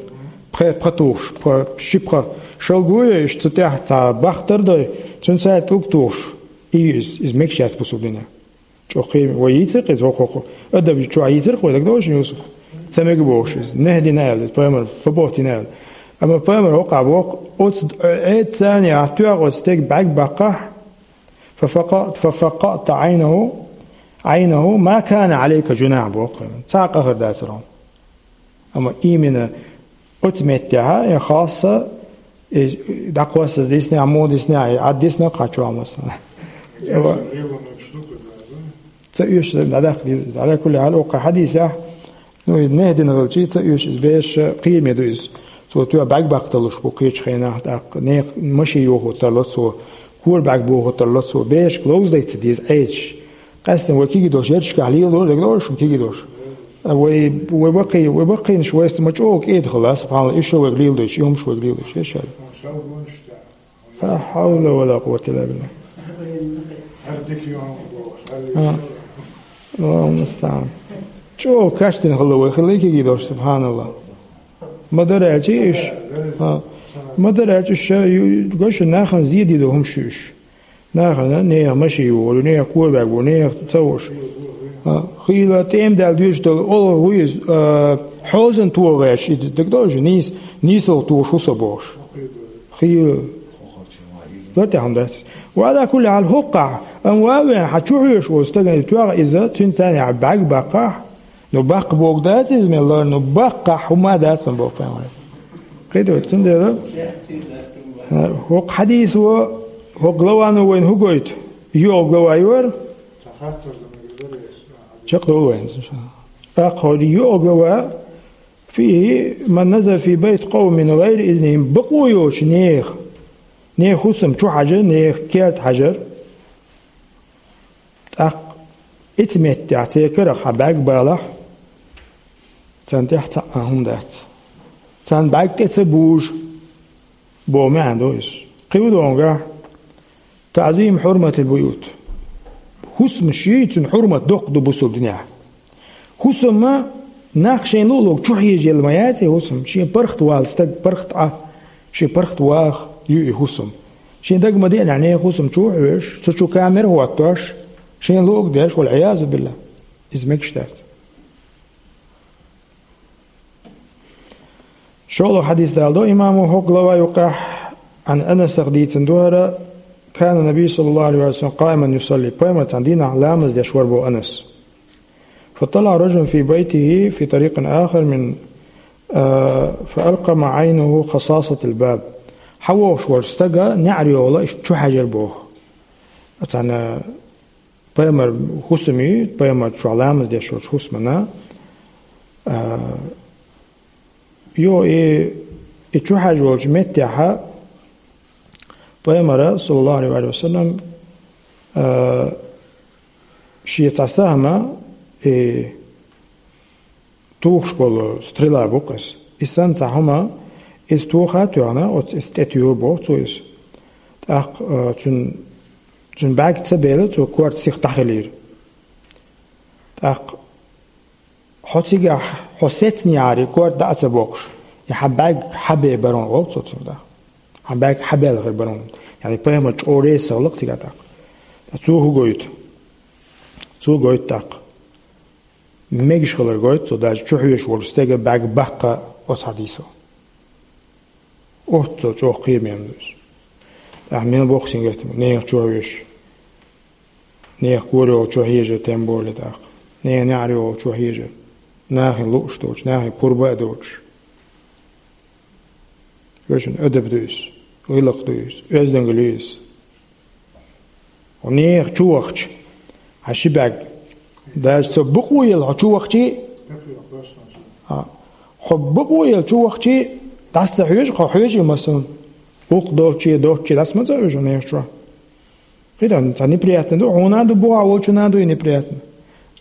Пхи пха тухуш, пха, ши пха шалгой а йойуш, цу тӀехь цхьа бахтар а дой, цуьнан цара тӀулг тухуш. И иза, иза мегаш яц бусулба динехь. ЧӀоккхий, вай йийцира-кх иза, хӀокху-, хӀокху. Адаб чохь йийцира-кх вай, дагадогӀу шуна, Юсуп? Ца мега бохуш иза. Нехь дина аьлла, пайхамар фа бохтина аьлла. Амма пайхамар хӀокхахь боху, оцу Ӏедца царна яхь тоьхна оцу стеган бӀаьрг баккхахь, фа факъа-, фа факъаъта Ӏайнаху, Ӏайнаху, ма кана Ӏалайка жунахь боху. Цхьа а къа хир дацара хьуна. Амма именно оцу меттехь, я хасса, и дӀакхоссаза диснехь, муха диснехь, и Ӏад дисна кхачо масала. Ца оьшуш дӀадаккха деза. Ала кулли хьал, оккха хьадисехь, ну, иза нехь дина хилчий, ца оьшуш иза бераш кхераме ду иза. Цо тоьхна бӀаьрг баккха далуш бу кхечу хенахь, тӀаккха нехан машен йохо тарло цо, кора бӀаьрг бохо тарло цо, берашка ловза дай ца деза Ӏедаш. Къаьстина вай кегий долуш, ярташкахь леладо, дагадогӀуш шуна кегий долуш. А вай, вай баккхий-, вай баккхийнаш вайца ма чӀогӀа кӀеда хила, субханалла, уьш а вайга леладойчу, и хӀумаш вайга леладойчу, эшшара. Ла хьавла ва ла къуввата илла билла. А. Аллаху мустаӀан. ЧӀогӀа кечдина хила вай, хила кегий долуш, субханалла. Ма-дарра аьлча уьш. А. Ма-дарра аьлча уьш, ю-, гой шу, нахана зе дийр ду хӀумаш ю уьш. Нахана, нехан машен йохор ю, нехан кора бӀаьрг бу, нехан ца вуш. А, хийла тӀема даьлла доьжуш долу олха ву иза, а, хьозан тоха гӀерташ, и дагадогӀу, нийс-, нийсалгӀа тоха хӀусам бохуш. Хийла. Лар тӀехь хӀума дац иза. Ва ала кулли хьал хӀокхахь, амма ва а веана, хьан чу хьоьжуш волу стагана тоьхна иза, цуьнан царна яхь бӀаьрг баккхахь, ну, баккха бохург дац иза, мел лар, ну, баккхахь хӀума а дац сан боху пайхамар. Кхетий вай, цундела, а, хӀокху хьадисо, хӀокху главано вайна хӀун гойту? ЙоьалгӀа глава ю хӀара? Чекхдовлу вайна. ТӀаккха хӀара йоьалгӀа глава: «فيه من نزل في بيت قوم من غير إذنهم», бакъо йоцу нехан, нехан хӀусам чу хьажар, нехан керта хьажар. ТӀаккха оцу меттехь церан карах хьан бӀаьрг балахь, царна тӀехь цхьа а хӀума дац. Царна бӀаьрг тӀе ца бужу боху маьӀна ду иза. Кхин ду хьуна гахь: «تعظيم حرمة البيوت». ХӀусамаш, цуьнан хьурмат доккха ду бусалба динехь. ХӀусам а нах шайна луъу-луъург чу хьежаелла ма яц и хӀусам. Шен паргӀат вала стаг, паргӀат Ӏа, шен паргӀат ваха ю и хӀусам. Шен дага ма деанехь, нехан хӀусам чу а хьоьжуш, цу чу камера а хӀоттош, шайна луъург деш, вал-Ӏиязу биллахӀ. Иза мегаш дац. ШолгӀа хьадис даладо имамо хӀокху глава юкъахь, Ӏан Анасах дийцина ду хӀара: «كان النبي صلى الله عليه وسلم قائما يصلي». Пайхамар цхьана дийнахь ламаз деш вара боху Анас. «فطلع رجل في بيته في طريق آخر من، آه، فألقم عينه خصاصة الباب». Хьан вохуш волчу стага неӀар йолу иштта чу хьаьжира боху. Цхьана пайхамар хӀусаме, пайхамар чохь ламаз деш волчу хӀусамана, а, йо, и, и чу хьаьжа волчу меттехьа пайхамара, саллаллаху алейхи ва саллям, а, шен цхьа сахьма, и тухуш болу стрела бу-кх иза. И санна цхьа хӀума, иза тоха а тоьхна, оцу иза тӀетоьху боху цо иза. ТӀаккха, а, цуьнан, цуьнан бӀаьрг ца бела, цо корта сиха дӀахилийра. ТӀаккха: «Хьо цигахь, хьо сецна яхьарий, корта дӀа а ца боккхуш, и хьан бӀаьрг хьабе бара хьуна», олу цо цуьнга тӀаккха. «Хьан бӀаьрг хьабаьлла хир бара хьуна». Яъни пайхамар чӀогӀа реза хилла-кх цигахь тӀаккха. Ткъа цо хӀун гойту? Цо гойту тӀаккха. Мегаш хилар гойту цо, даже чу хьоьжуш волу стеган бӀаьрг баккха оцу хьадисо. Оццул чӀогӀа кхераме ду иза. ТӀаккха мила боху сингаттам, нехан чу хьоьжуш, нехан кора йолу чу хьежар, тем более тӀаккха. Нехан неӀар йолу чу хьежар. Нахана лууш доцуш, нахана пурба а доцуш. Вешан адаб ду иза, гӀиллакх ду иза, оьздангалла ю иза. Хьо нехан чу вахча, хьан ши бӀаьрг, даже цо бакъо елла хьо чу вахчий, а, хьо бакъо елла чу вахчий, дӀаса ца хьоьжу, хьо хьоьжу и масал, гӀуллакх долчий, доцчий, дӀаса ма ца хьоьжу нехан чу. КхидӀа, цхьа неприятно ду, хьуна а ду, бухахь волчунна а ду и неприятно.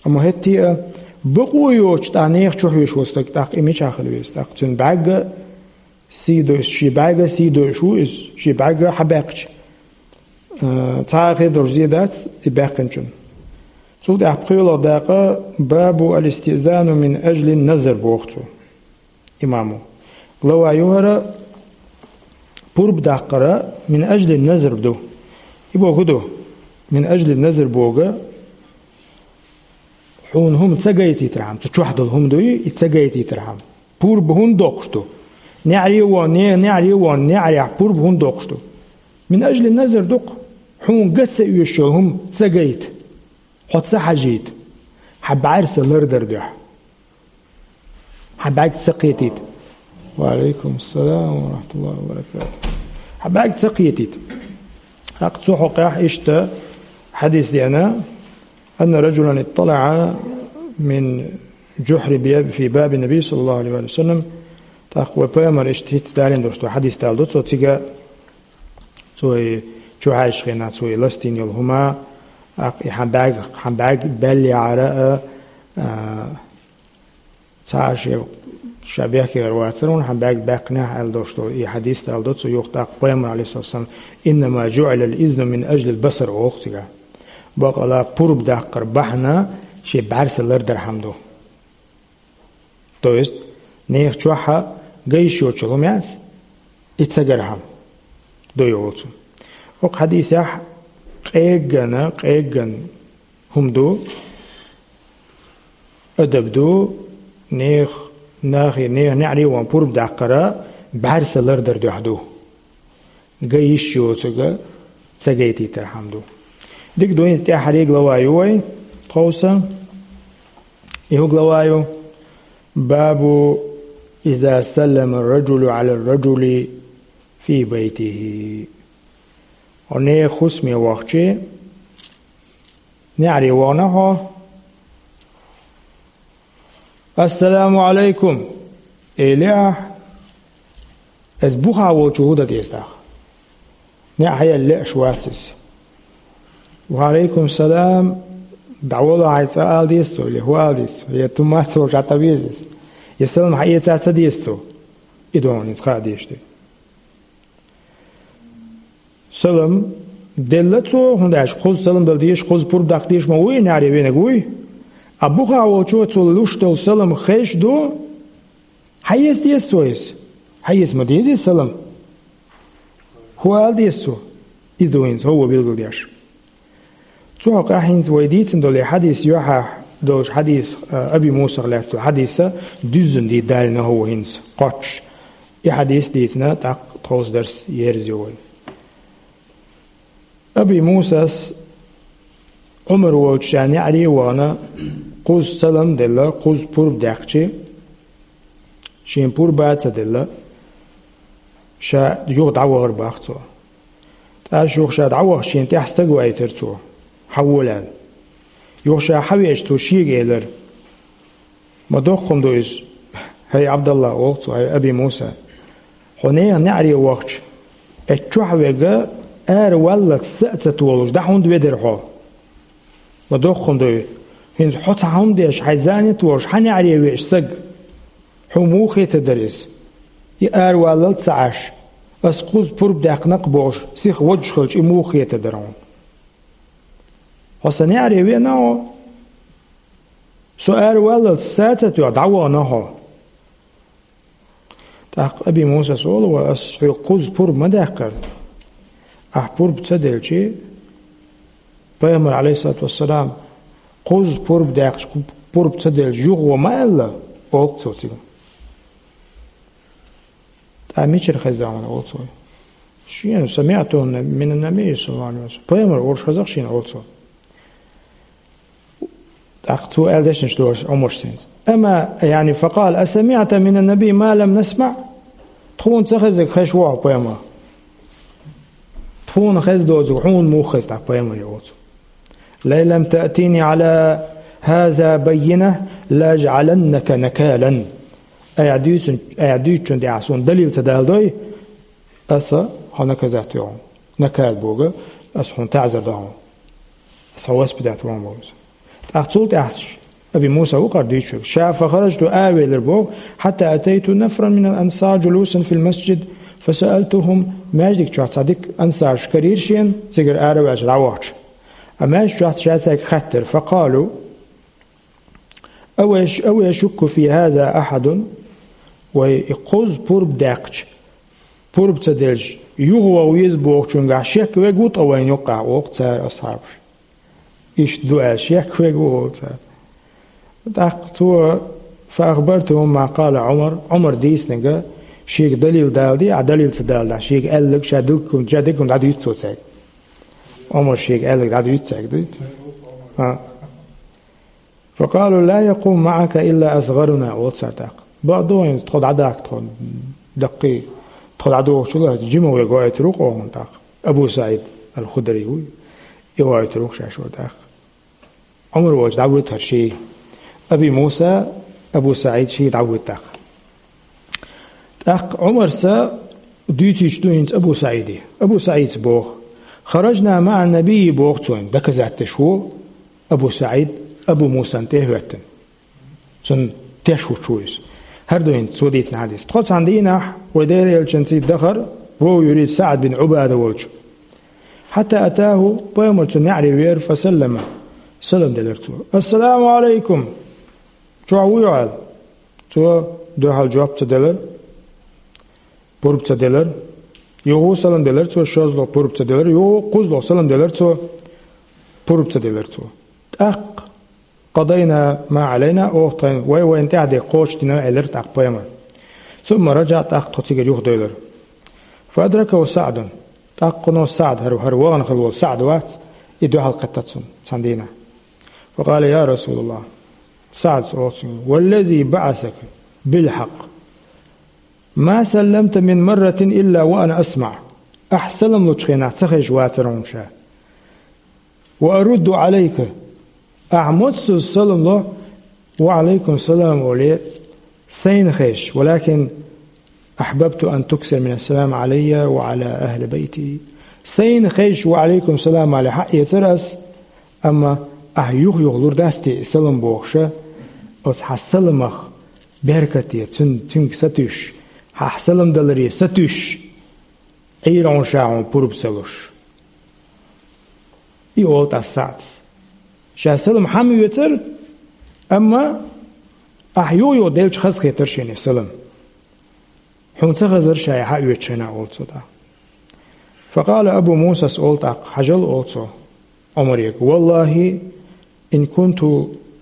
Амма хӀетте а бакъо йоцуш тӀаккха нехан чу хьоьжуш волу стаг тӀаккха и мичахь хила веза? ТӀаккха цуьнан бӀаьрга сий дойуш, шен бӀаьрга сий дойуш ву иза, шен бӀаьрга хьабаьккхича, а, цхьа а хир долуш зе дац и баьккхинчун. Цул тӀаьхьа пхоьалгӀа дакъа: «Бабу аль-истиъзану мин ажлин назар», боху цо, имамо. Глава ю хӀара, пурба даккхара мин ажлин назар ду. И боху ду, мин ажлин назар боху, Хьуна хӀума ца гайтийтархьама, цу чохь долу хӀума дуй, и ца гайтийтархьама. Пурба хӀунда доккхуш ду? НеӀаре а вон, не-, неӀаре а вон, неӀарехь пурба хӀунда доккхуш ду? Мин ажли назар ду-кх, хьуна ган ца оьшуш йолу хӀума ца гайта, хьо ца хьажийта, хьан бӀаьрса лардар дуьхьа. Хьан бӀаьрг ца кхетийта. Ва алейкум салам ва рахматуллахи ва баракатух. Хьан бӀаьрг ца кхетийта. ТӀаккха цу хьокъехь иштта хьадис деана, أن رجلا اطلع من جحر باب، في باب النبي صلى الله عليه وسلم. ТӀаккха вай пайхамар иштта хӀинца далийна долуш ду хьадис далдо, цо цига цо и чу хьаьжча хенахь, цо и ластийна йолу хӀума, тӀаккха и хьан бӀаьрг, хьан бӀаьрг баьллехьара а, а, цхьа а шен ша бехкера вацара, хьан бӀаьрг баьккхинехь аьлла долуш долу и хьадис далдо, цо юха тӀаккха пайхамар, алейхиссалам, إنما جعل الإذن من أجل البصر олу цига. Бакъала пурба даккхар бахьана шен бӀаьрса лардархьама ду. То есть, нехан чохь ган йиш йоцу хӀума яц, и ца гархьама ду йолу цо. Оцу хьадисехь къеггана, къеггана хӀума ду, адаб ду, нех-, нахе, нехан неӀаре а вон пурба даккхара бӀаьрса лардар дуьхьа ду. Ган йиш йоцург ца гайтийтархьама ду. Дика ду, хӀинца тӀаьххьара глава ю вай, тховса. И хӀун глава ю? باب إذا سلم الرجل على الرجل في بيته. Хьо нехан хӀусаме вахча, неӀаре вахана хьо, «Ассаламу Ӏалайкум», элехь, иза бухахь волчо хӀун дан деза тӀаккха? НеӀ хьаелла лууш вац иза. «Ва Ӏалайкум салам, дӀавала хьайн цӀа ала деза цо, или хӀун ала деза цо, я туммаца волчохь тӀе веза иза, я салам хьаэца ца деза цо». И ду хьуна хӀинца хаа дезаш дерг. Салам делла цо, хӀунда аьлча кхуза салам дала дезаш, кхуза пурба даккха дезаш ма вуй, неӀаре венарг вуй. А бухахь волчо цо луш долу салам хезаш ду, хьаэца деза цо иза. Хьаэца ма деза иза салам. ХӀун ала деза цо? Иза ду хӀинца хӀокхо билгалдеш. Цу хьокъехь хӀинца вай дийцина долу и хьадис юьхьехь долчу хьадис, а, Аби Мусах лаьцна долу хьадиса дуьззина дийца далийна хӀокхо хӀинца кхоччуш. И хьадис дийцина, тӀаккха тховса дарс ерзайо вай. Аби Мусас Ӏумар волчу ша неӀаре а вахана, кхуза салам делла, кхуза пурба даьккхича, шена пурба а ца делла, ша юха дӀавахар боху цо. ТӀаккха юха ша дӀавахча, шена тӀехь стаг вайтира цо, хьан волавелла. Юха ша хьан веача, цо шега элира: «Ма доккха хӀума ду иза, хӀай Ӏабдалла, — олу цо, — хӀай Аби Муса. Хьо нехан неӀаре вахча, эццу чохь верг ара валлалц са а ца толуш, дӀа хӀунда ведара хьо? Ма доккха хӀума ду иза. ХӀинца хьо цхьа хӀума деш, хьайн занят волуш, хьан неӀаре веача стаг, хьуна муха хетар дара иза? И ара валлалц ца Ӏаш, ас кхуза пурба даьккхина-кх бохуш, сиха водуш хилча, и муха хетар дара хьуна? Хьо сан неӀаре веана хьо, со ара валлалц са а ца тоьхна, дӀавахана хьо». ТӀаккха Аби Мусас олу: «Ва ас хьоьга кхуза пурба ма даьккхара. Ахь пурба ца делча, пайхамар, Ӏалайхиссалату вассалам, кхуза пурба даьккхича, пурба ца делча, юхаво ма аьлла», — олу цо цига. «ТӀаккха мичара хезна хьуна?» — олу цо. «Шена, самиӀтуху минан-набий, саллаллаху Ӏалайхи ва саллам. Пайхамар олуш хезна-кх шена», — олу цо. ТӀаккха цо аьлла дешнаш долуш Ӏумарс хӀинца: «Амма, яъни, факъала: асамиӀта минан-набий ма лам насмаӀ?» Тхуна ца хезарг хезаш ву хьо пайхамарах? Тхуна хезна доцург хьуна муха хеза тӀаккха пайхамаре, олу цо. «Лаин лам таътини Ӏала хаза баййина, лаажӀаланнака накалан». Айхьа дуьйцун-, айхьа дуьйцучун тӀехь суна далил ца даладой, аса хьо наказать ву хьуна. Накал боху, аса хьуна таӀзар до хьуна. Аса хьо воспитать ву хьуна боху. ТӀаккха цул тӀаьхьа Аби Муса ву кхара дуьйцуш верг. Ша фахараджту, аравелира боху, хьатта атайту нафаран минал ансар джулусан фил масджид, фасаалтухум, маьждиг чохь цхьа дика ансарш карийра шена, цигара араваьлча дӀавахча. А маьждиг чохь ша цаьрга хаьттира, факъалу: «Ау яш-, ау яшукку фи хаза ахьадун?» Вай, и кхуза пурба даьккхича, пурба ца делча, юхаваха веза бохучунгахь шек верг ву ткъа вайна юккъехь, олу цара асхьабаш. Иштта ду аьлла шек верг ву, олу цара. ТӀаккха цо: «فأخبرتهم ما قال عمر», Ӏумар дийцинарг шега далил даладе, а далил ца даладахь, шега аьлларг ша дилккун, ша диггун дӀадуьйцу цо цаьрга. Ӏумар шега аьлларг дӀадуьйцу цаьрга, дуьйцу? А. «فقالوا: لا يقوم معك إلا أصغرنا», олу цара тӀаккха. «Бакъду хӀинца тхо дӀадаккха тхо даккхий, тхо дӀадохучул а жима верг гӀойтур ву-кх хьуна тӀаккха». Абу СаӀид ал-Худри ву, и гӀойтур ву-кх шаьш вара тӀаккха. Ӏумар волчу дӀавоьду хӀара ший. Аби Муса, Абу СаӀид ший дӀавоьду тӀаккха. ТӀаккха Ӏумарса дуьйцуьйтуш ду хӀинца Абу СаӀиде. Абу СаӀида боху: «خرجنا مع النبي», боху цо, доказать деш ву Абу СаӀид Абу Мусан тӀе а хӀоьттина. Цунна теш хӀуттуш ву иза. ХӀара ду хӀинца цо дийцина хьадис. Тхо цхьана дийнахь вай Делан Элчанца дахара, вовшахтоьхна СаӀд бин Ӏубада волчу. «حتى أتاه», пайхамар цунна неӀаре веара, «فسلم», салам делира цо. «السلام عليكم, чохь вуй хьо?» аьлла. Цо дуьхьал жоп ца делира, пурба ца делира. Юха салам делира цо, шозлагӀа пурба ца делира, юха кхозлагӀа салам делира цо, пурба ца делира цо. ТӀаккха «قضينا ما علينا», оха тхайн вай-вайна тӀехь дерг кхочушдина, элира тӀаккха пайхамар. «ثم رجع», тӀаккха тхо цигара юхадевлира. «فأدركه سعد», тӀаккха кхунах СаӀд, хӀара, хӀара вахана хилла волу СаӀд вац, и дуьхьал кхетта цунна цхьана дийнахь. «فقال: يا رسول الله», СаӀдас олу цуьнга: «والذي بعثك بالحق ما سلمت من مرة إلا وأنا أسمع». Ахь салам лучу хенахь ца хезаш вацара хьуна ша. «وأرد عليك», ахь массаза салам ло, «وعليكم السلام» олий, сайна хезаш, «ولكن أحببت أن تكثر من السلام علي وعلى أهل بيتي». Сайна хезаш «وعليكم السلام» олий хьаэцара ас, амма ахь юха-юха лур дац те и салам бохуша, оцу хьан саламах беркате, цуьнан, цуьнга сатуьйсуш, хьан салам даларе сатуьйсуш, Ӏийра хьуна ша хьуна пурба ца луш. И олу тӀаккха СаӀдас. Ша салам хьан оьцура, амма ахь юха-юха делча хазахетара шена и салам. Хьуна ца хезара ша и хьан оьцучу хенахь, олу цо тӀаккха. «فقال أبو موسى», олу тӀаккха, хьажал, олу цо, Ӏумаре: «والله إن كنت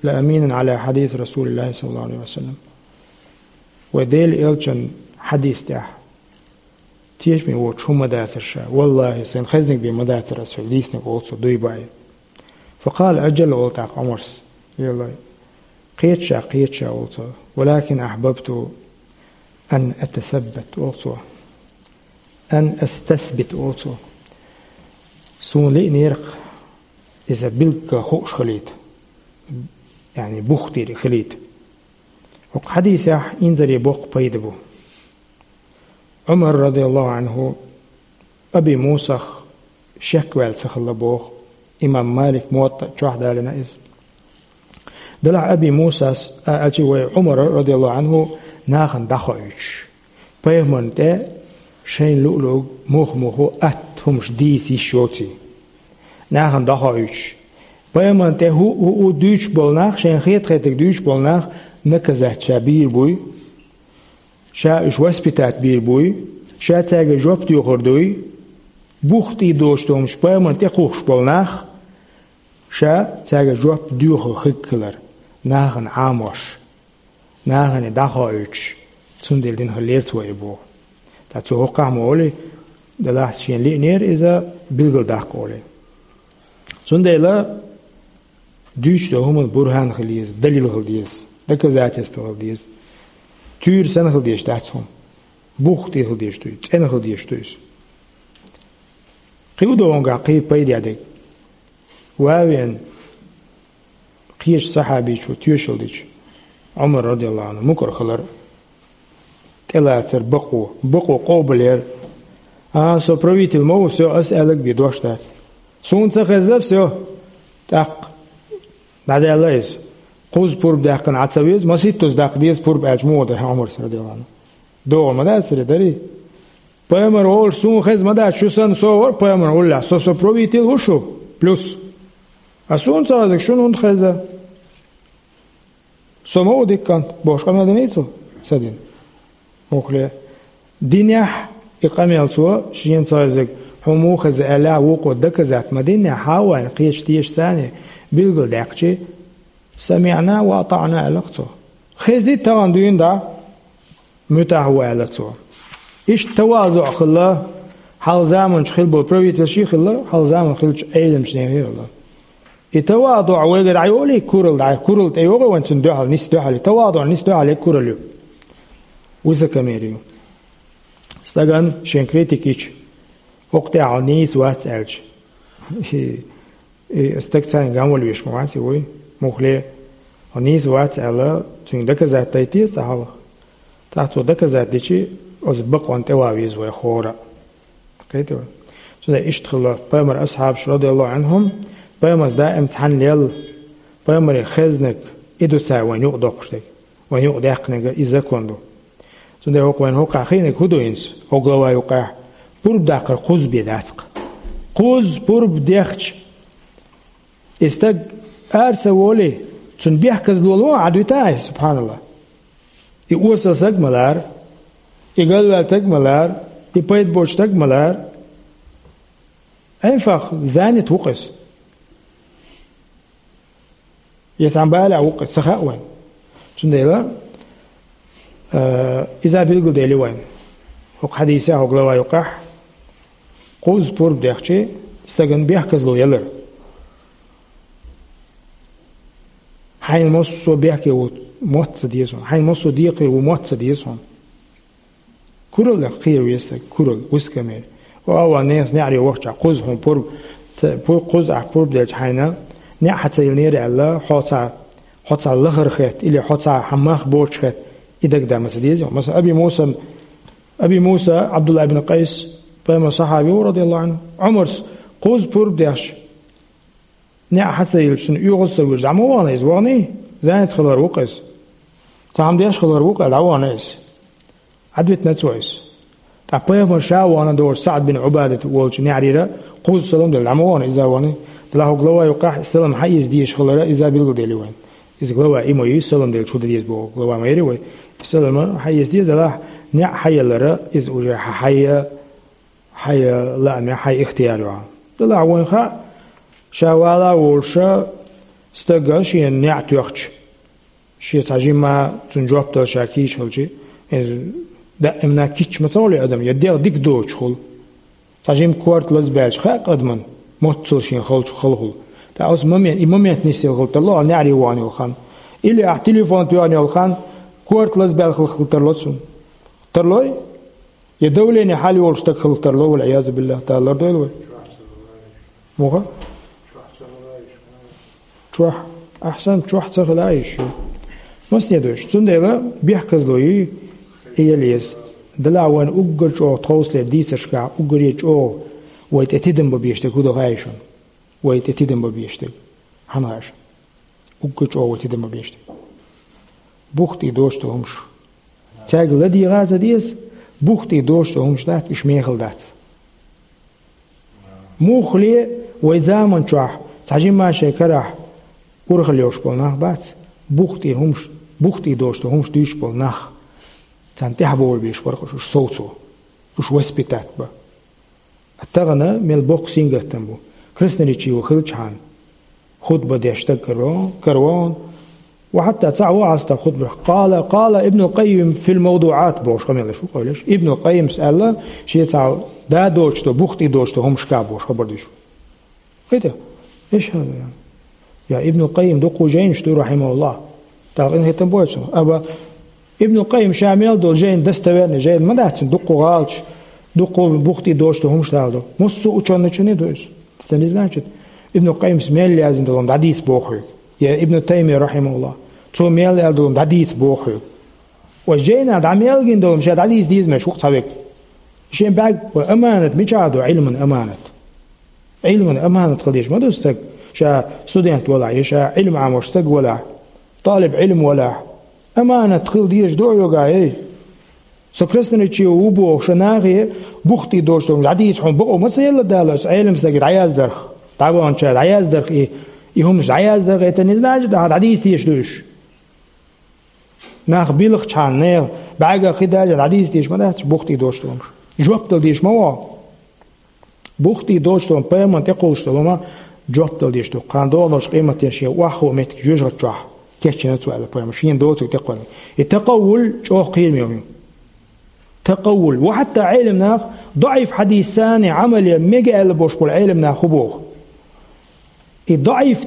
لأمينا على حديث رسول الله صلى الله عليه وسلم». Вай Делан Элчан хьадис тӀехь тешаме воцуш хӀума ма дацара ша. Валлахи, сайна хезнарг бен ма дацара ас хьоьга дийцинарг, олу цо, дуй баьлла. «فقال أجل», олу тӀаккха Ӏумарс. Йолой, кхета ша, кхета ша, олу цо. «ولكن أحببت أن أتثبت», олу цо. «أن أستثبت», олу цо. Суна лиънера-кх иза билггал хууш хилийта. Яъни бухтийра хилийта. ХӀокху хьадисехь инзаре боккха пайда бу. Ӏумар, радияллаху Ӏанху, Аби Мусах шек ваьлла ца хилла боху. Имам Малик Муваттаъ чохь далийна иза. Делахь Аби Мусас а аьлча, вай Ӏумара, радияллаху Ӏанху, нахана дӀахоуьйтуш, пайхамарна тӀе шайна луъу-луъург муха-муха атта хӀумаш дийца йиш йоций. Нахана дӀахоуьйтуш, пайхамарна тӀе хӀуъу-хӀуъу дуьйцуш болу нах, шайна хета-хетарг дуьйцуш болу нах наказать ша бийр буй, ша уьш воспитать бийр буй, ша цаьрга жоп доьхур дуй, бухтий доцуш долу хӀумаш пайхамарна тӀе кхухкуш болу нах, ша цаьрга жоп доьхур хиг хилар, нахана Ӏамош, нахана дӀахоуьйтуш, цундела дина хиллера цо и боху. Ткъа цо хӀокхахь ма олий, делахь шена лиънера иза билгалдаккха олий. Цундела дуьйцуш долу хӀуманна бурхан хила еза, далил хила деза, доказательство хила деза. Туьйра санна хила дезаш дац хӀума. Бухтий хила дезаш ду иза, цӀена хила дезаш ду иза. Кхин а ду хӀунгахь кхин пайда дерг. Ван а веана, кхечу сахьабичо тоьшалла дича, Ӏумар, радияллаху Ӏанху, мукӀар хилар, тӀелацар бакъо, бакъо къобалъяр. А, со правитель ма ву, всё, ас аьлларг бен дош дац. Суна ца хезна, всё, тӀаккха дӀадаьлла иза. Кхузза пурба даьккхина Ӏа ца веза, масийттазза даккха деза пурба аьлча, муха дара Ӏумарс, радияллаху Ӏанху? ДогӀур ма дацара, дарий? Пайхамар олуш, суна хезна ма дац, шу санна со вара пайхамар уллехь, со, со правитель ву шу, плюс. А суна ца хезарг шуна хӀунда хезна? Со ма ву дика кӀант, бохуш къамел диний цо? Ца дина. Муххале. Динехь и къамел цо, шена ца хезарг хьуна муха хезна аьлла, вукхо доказать ма динехь, хьан а вайна кхечу тешаца а билгалдаьккхича, «СамиӀна ва атаӀна», аьлла цо. «Хези, тахана дуьйна дӀа, муьтӀахь ву», аьлла цо. Иштта тавазуӀ хилла, хьалха заманчу хилла болу правительший хилла, хьалха заманахь хиллачу Ӏеламчу нехан хилла. И тавазуӀ вайгара дӀайолий, куралла дӀа, куралла тӀейогӀу вайн цунна дуьхьал, нис дуьхьал, тавазуӀ нис дуьхьал куралла ю. Высокомерие ю. Стагана шен критика йича, хӀокху тӀехь хьо нийса вац аьлча. И, и стаг царна ган вала веш ма вац и вуй. Муххале, хьо нийса вац аьлла, цуьнга доказать дайта деза цхьа хьал. ТӀаккха цо доказать дичи, оцу бакъонна тӀе ван веза вай хӀора. Кхетий вай? Цундела иштта хилла пайхамар асхьабаш, радияллаху Ӏанхум, пайхамарца даим цхьаьна лелла, пайхамаре хезнарг, и ду цара вайна юкъа доккхуш дерг. Вайн юкъа даьккхинарг и закон ду. Цундела хӀокху вайн хӀокхахь хиънарг хӀун ду хӀинца, хӀокху глава юкъахь? Пурба даккхар кхузза бен дац-кх. Кхузза пурба дехча, и стаг ара ца волий, цунна бехказло ло Ӏа дуьтахь, субханаллах. И осал стаг ма лара, и галваьлла стаг ма лара, и пайда боцу стаг ма лара. Ӏенфах занят ву-кх иза. Я цхьана балехь ву-кх, ца хаьа вайн. Цундела, э, иза билгалдели вайн. ХӀокху хьадисехь, хӀокху глава юкъахь, кхузза пурба дехча, стагана бехказло ялар. Хьайна массо а бехке ву мотт ца деза хьуна. Хьайна массо а декхаре ву мотт ца деза хьуна. Кураллех кхера веза стаг, куралла, высокомерие. О, а ван нехан неӀаре вахча, кхузза хьуна пурба, ца, пу-, кхузза ахь пурба делча хьайна, неӀ хьан ца йиллинера аьлла, хьо цхьа, хьо цхьа лахара хетта, или хьо цхьа хьан мах боцуш хетта, и дагадама ца деза. Масала, Аби Мусан, Аби Муса, Абдулла ибн Къайс, пайхамар сахьаби ву, радияллаху Ӏанху, Ӏумарс кхузза пурба дехча, неӀ хьан ца йиллича, цунна оьгӀаз ца вуьжа, дӀа ма вахана иза, ваханий? Занят хилар ву-кх иза. Цхьа хӀума деш хилар ву-кх аьлла, дӀавахана иза. Ӏадвитина цо иза. Ткъа пайхамар ша а вахана долуш СаӀд бин Ӏубадат волчу неӀарера кхузза салам делла, дӀа ма вахана иза, ваханий? Делахь хӀокху глава юкъахь салам хьан эца дезаш хилар иза билгалдели вайн. Иза глава и ма ю, салам делча хӀун дан деза боху глава ма яри вай. Салам хьан эца деза, делахь неӀ хьан ялара, иза уже хьан хьайя, хьайн лааме, хьайн ихтияр ю. Делахь вайн хаьа, ша вала а волуша, стага шен неӀ тоьхча, шен цхьа жимма цунна жоп дала ша кийча хилча, иза даимна кийча ма ца хуьлу адам, я дегӀ дика доцуш хуьлу. Цхьа жимма корта лазабаьлча, хаьа адамна, моццул шен халчу хала хуьлу. ТӀаккха оцу момент, и момент нисъелла хила тарло, неӀаре вахана йолу хан. Или ахь телефон тоьхна йолу хан, корта лазабаьлла хила тарло цунна. Тарлой? Я давление хьал йолуш стаг хила тарло, валь-Ӏиязу биллахӀ, Дала лардойла вай. Муха? Чохь. Ахьсан, чохь ца хила а йиш ю. Масне дойш. Цундела бехказло ю, и яла еза. Дала вайн уггар чӀогӀа тховсале дийцаршкахь, уггаре чӀогӀа вай тӀе тидам бан безаш дерг хӀун ду хаьий шуна? Вай тӀе тидам бан безаш дерг. Хьан хаьа шуна? Уггар чӀогӀа вай тидам бан безаш дерг. Бух тӀе доцуш долу хӀумаш. Цаьрга ладийгӀа а ца деза, бух тӀе доцуш долу хӀумаш дац, уьш мехала дац. Муххале вай заман чохь цхьа жимма шайн карахь урхалла йолуш болу нах бац, бух тӀе хӀумаш, бух тӀе доцуш долу хӀумаш дуьйцуш болу нах. Царна тӀаьхьа бовла безаш бара уьш совцо, уьш воспитать бан. Тахана мел боккха сингаттам бу. Красноречиво хилчхьана, хутба деш стаг каравон, каравон. Ва хьатта цхьа ву хьаста хутба. Къала, къала Ибнул Къаййим фил мавдуӀат бохуш къамел деш ву, къайлеш. Ибнул Къаййимс аьлла, шен цхьа да доцуш долу, бух тӀе доцуш долу хӀумашка бохуш хабар деш ву. Кхета? Эш хьала. Я Ибнул Къаййим дуккха жайнаш ду, рахьимахуллахӀ. Далла къинхетам бойла цунах. Аба Ибнул Къаййим ша мел долу жайна достоверный жайна ма дац, дуккха гӀалаташ, дуккха бух тӀе доцуш долу хӀумаш дала ду. Массо а учёнайчунна ду иза. Это не значит, Ибнул Къаййимс мел яздина долу дӀадийца боху хьоьга. Я Ибну Таймия, рахьимахуллахӀ, цо мел аьлла долу дӀадийца боху хьоьга. Ва жайна дӀа мел гина долу ша дӀадийца деза меш ву-кх цхьа век. Шен бӀаьрг ва аманат мичахь ду, Ӏилман аманат. Ӏилман аманат хила дезаш ма ду стаг, ша студент валахь, я ша Ӏилма Ӏамош стаг валахь, талиб Ӏилма валахь. Аманат хила дезаш ду хьоьга, эй. Со красноречиво ву боху ша нахе бух тӀе доцуш долу хӀумаш дӀадийца хьуна бакъо ма ца елла Дала, оцу Ӏелам стаге дӀаяздарх, дӀаваханчара дӀаяздарх и, и хӀумаш дӀаяздарх, это не значит, ахьа дӀадийца дезаш ду уьш. Нах билхчхьана, нехан бӀаьргах хи даьлча, дӀадийца дезаш ма дац, бух тӀе доцуш долу хӀумаш. Жоп дала дезаш ма ву. Бух тӀе доцуш долу хӀума, пайхамарна тӀекхуллуш долу хӀума жоп дала дезаш ду. Кхана догӀанчу къематдийнахь шен охьахуу меттиг жоьжахати чохь. кечйина цо аьлла пайхамара, шена доцург тӀекхоьллина. И такъаввул чӀогӀа кхераме хӀума ю. Такъаввул. Ва хьатта Ӏеламнаха доӀиф хьадисаца Ӏамал е мега аьлла болуш болу Ӏеламнах хӀун боху? И доӀиф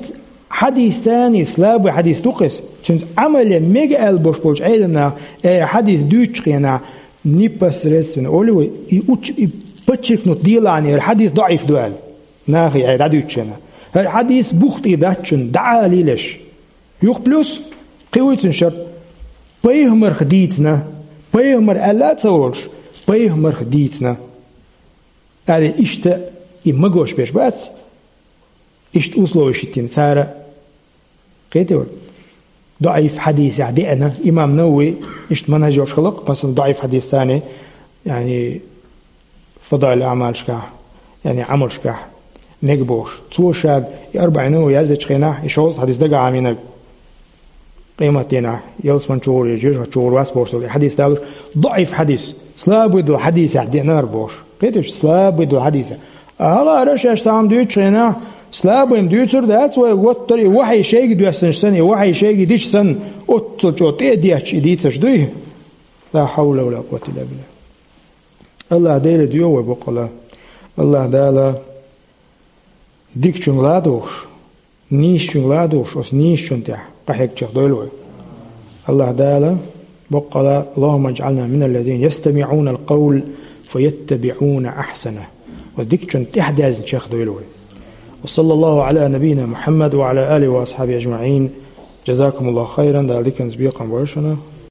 хьадисаца, слабый хьадис ду-кх иза, цуьнца Ӏамал е мега аьлла болуш болчу Ӏеламнаха, э, хьадис дуьйцучу хенахь, непосредственно олий вай, и уч-, и подчеркнуть делахь, хӀара хьадис доӀиф ду аьлла. Нахе, э, дӀадуьйцучу хенахь. ХӀара хьадис бух тӀе дац шуна, дӀа а лелаш. Юха плюс, кхин вуй цуьнан шарт, пайхамарх дийцина, пайхамар аьлла а ца волуш, пайхамарх дийцина. Аьлла, иштта и магош берш бац, иштта условиш хӀиттина цара, кхетий вай? ДоӀиф хьадисехь деана, имам Навави иштта манхӀаж йолуш хилла-кх, масала, доӀиф хьадисаца, яъни, фадаил аъмалшкахь, яъни Ӏамалшкахь, мега бохуш. Цо шега и АрбаӀин Навави яздечу хенахь, и шовзткъа хьадис дагахь Ӏамийнарг, къематдийнахь, ялсамани чугӀур я жоьжахати чугӀур вац бохуш долу и хьадис далуш, доӀиф хьадис, слабый долу хьадисехь деана хӀара бохуш. Кхетий, слабый долу хьадисехь. Ахьа, хӀара шаьш цхьа хӀума дуьйцучу хенахь, слабый-м дуьйцур дац вай, ваттара и вахьий шайга доьссинчу санна, и вахьий шайга дича санна, оццул чӀогӀа тӀе а детташ и дийцаш дуй? Ла хьавла ва ла къуввата илла биллахӀ. АллахӀ Деле доьху вай боккъала. АллахӀ Дала дикачуьнга ладугӀуш, нийсачуьнга ладугӀуш, оцу нийсачунна тӀехь къахьегначех дойла вай. АллахӀ Дала боккъала: «Аллахумма иджӀална миналлазина ястамиӀунал къавла фаяттабиӀуна ахьсана». Оцу дикачунна тӀехь даьзначех дойла вай. Ва саллаллаху Ӏала набийина Мухьаммад ва Ӏала алихи ва асхьабихи аджмаӀин. Джазакумуллаху хайран, Дала диканца бекхам бойла шуна.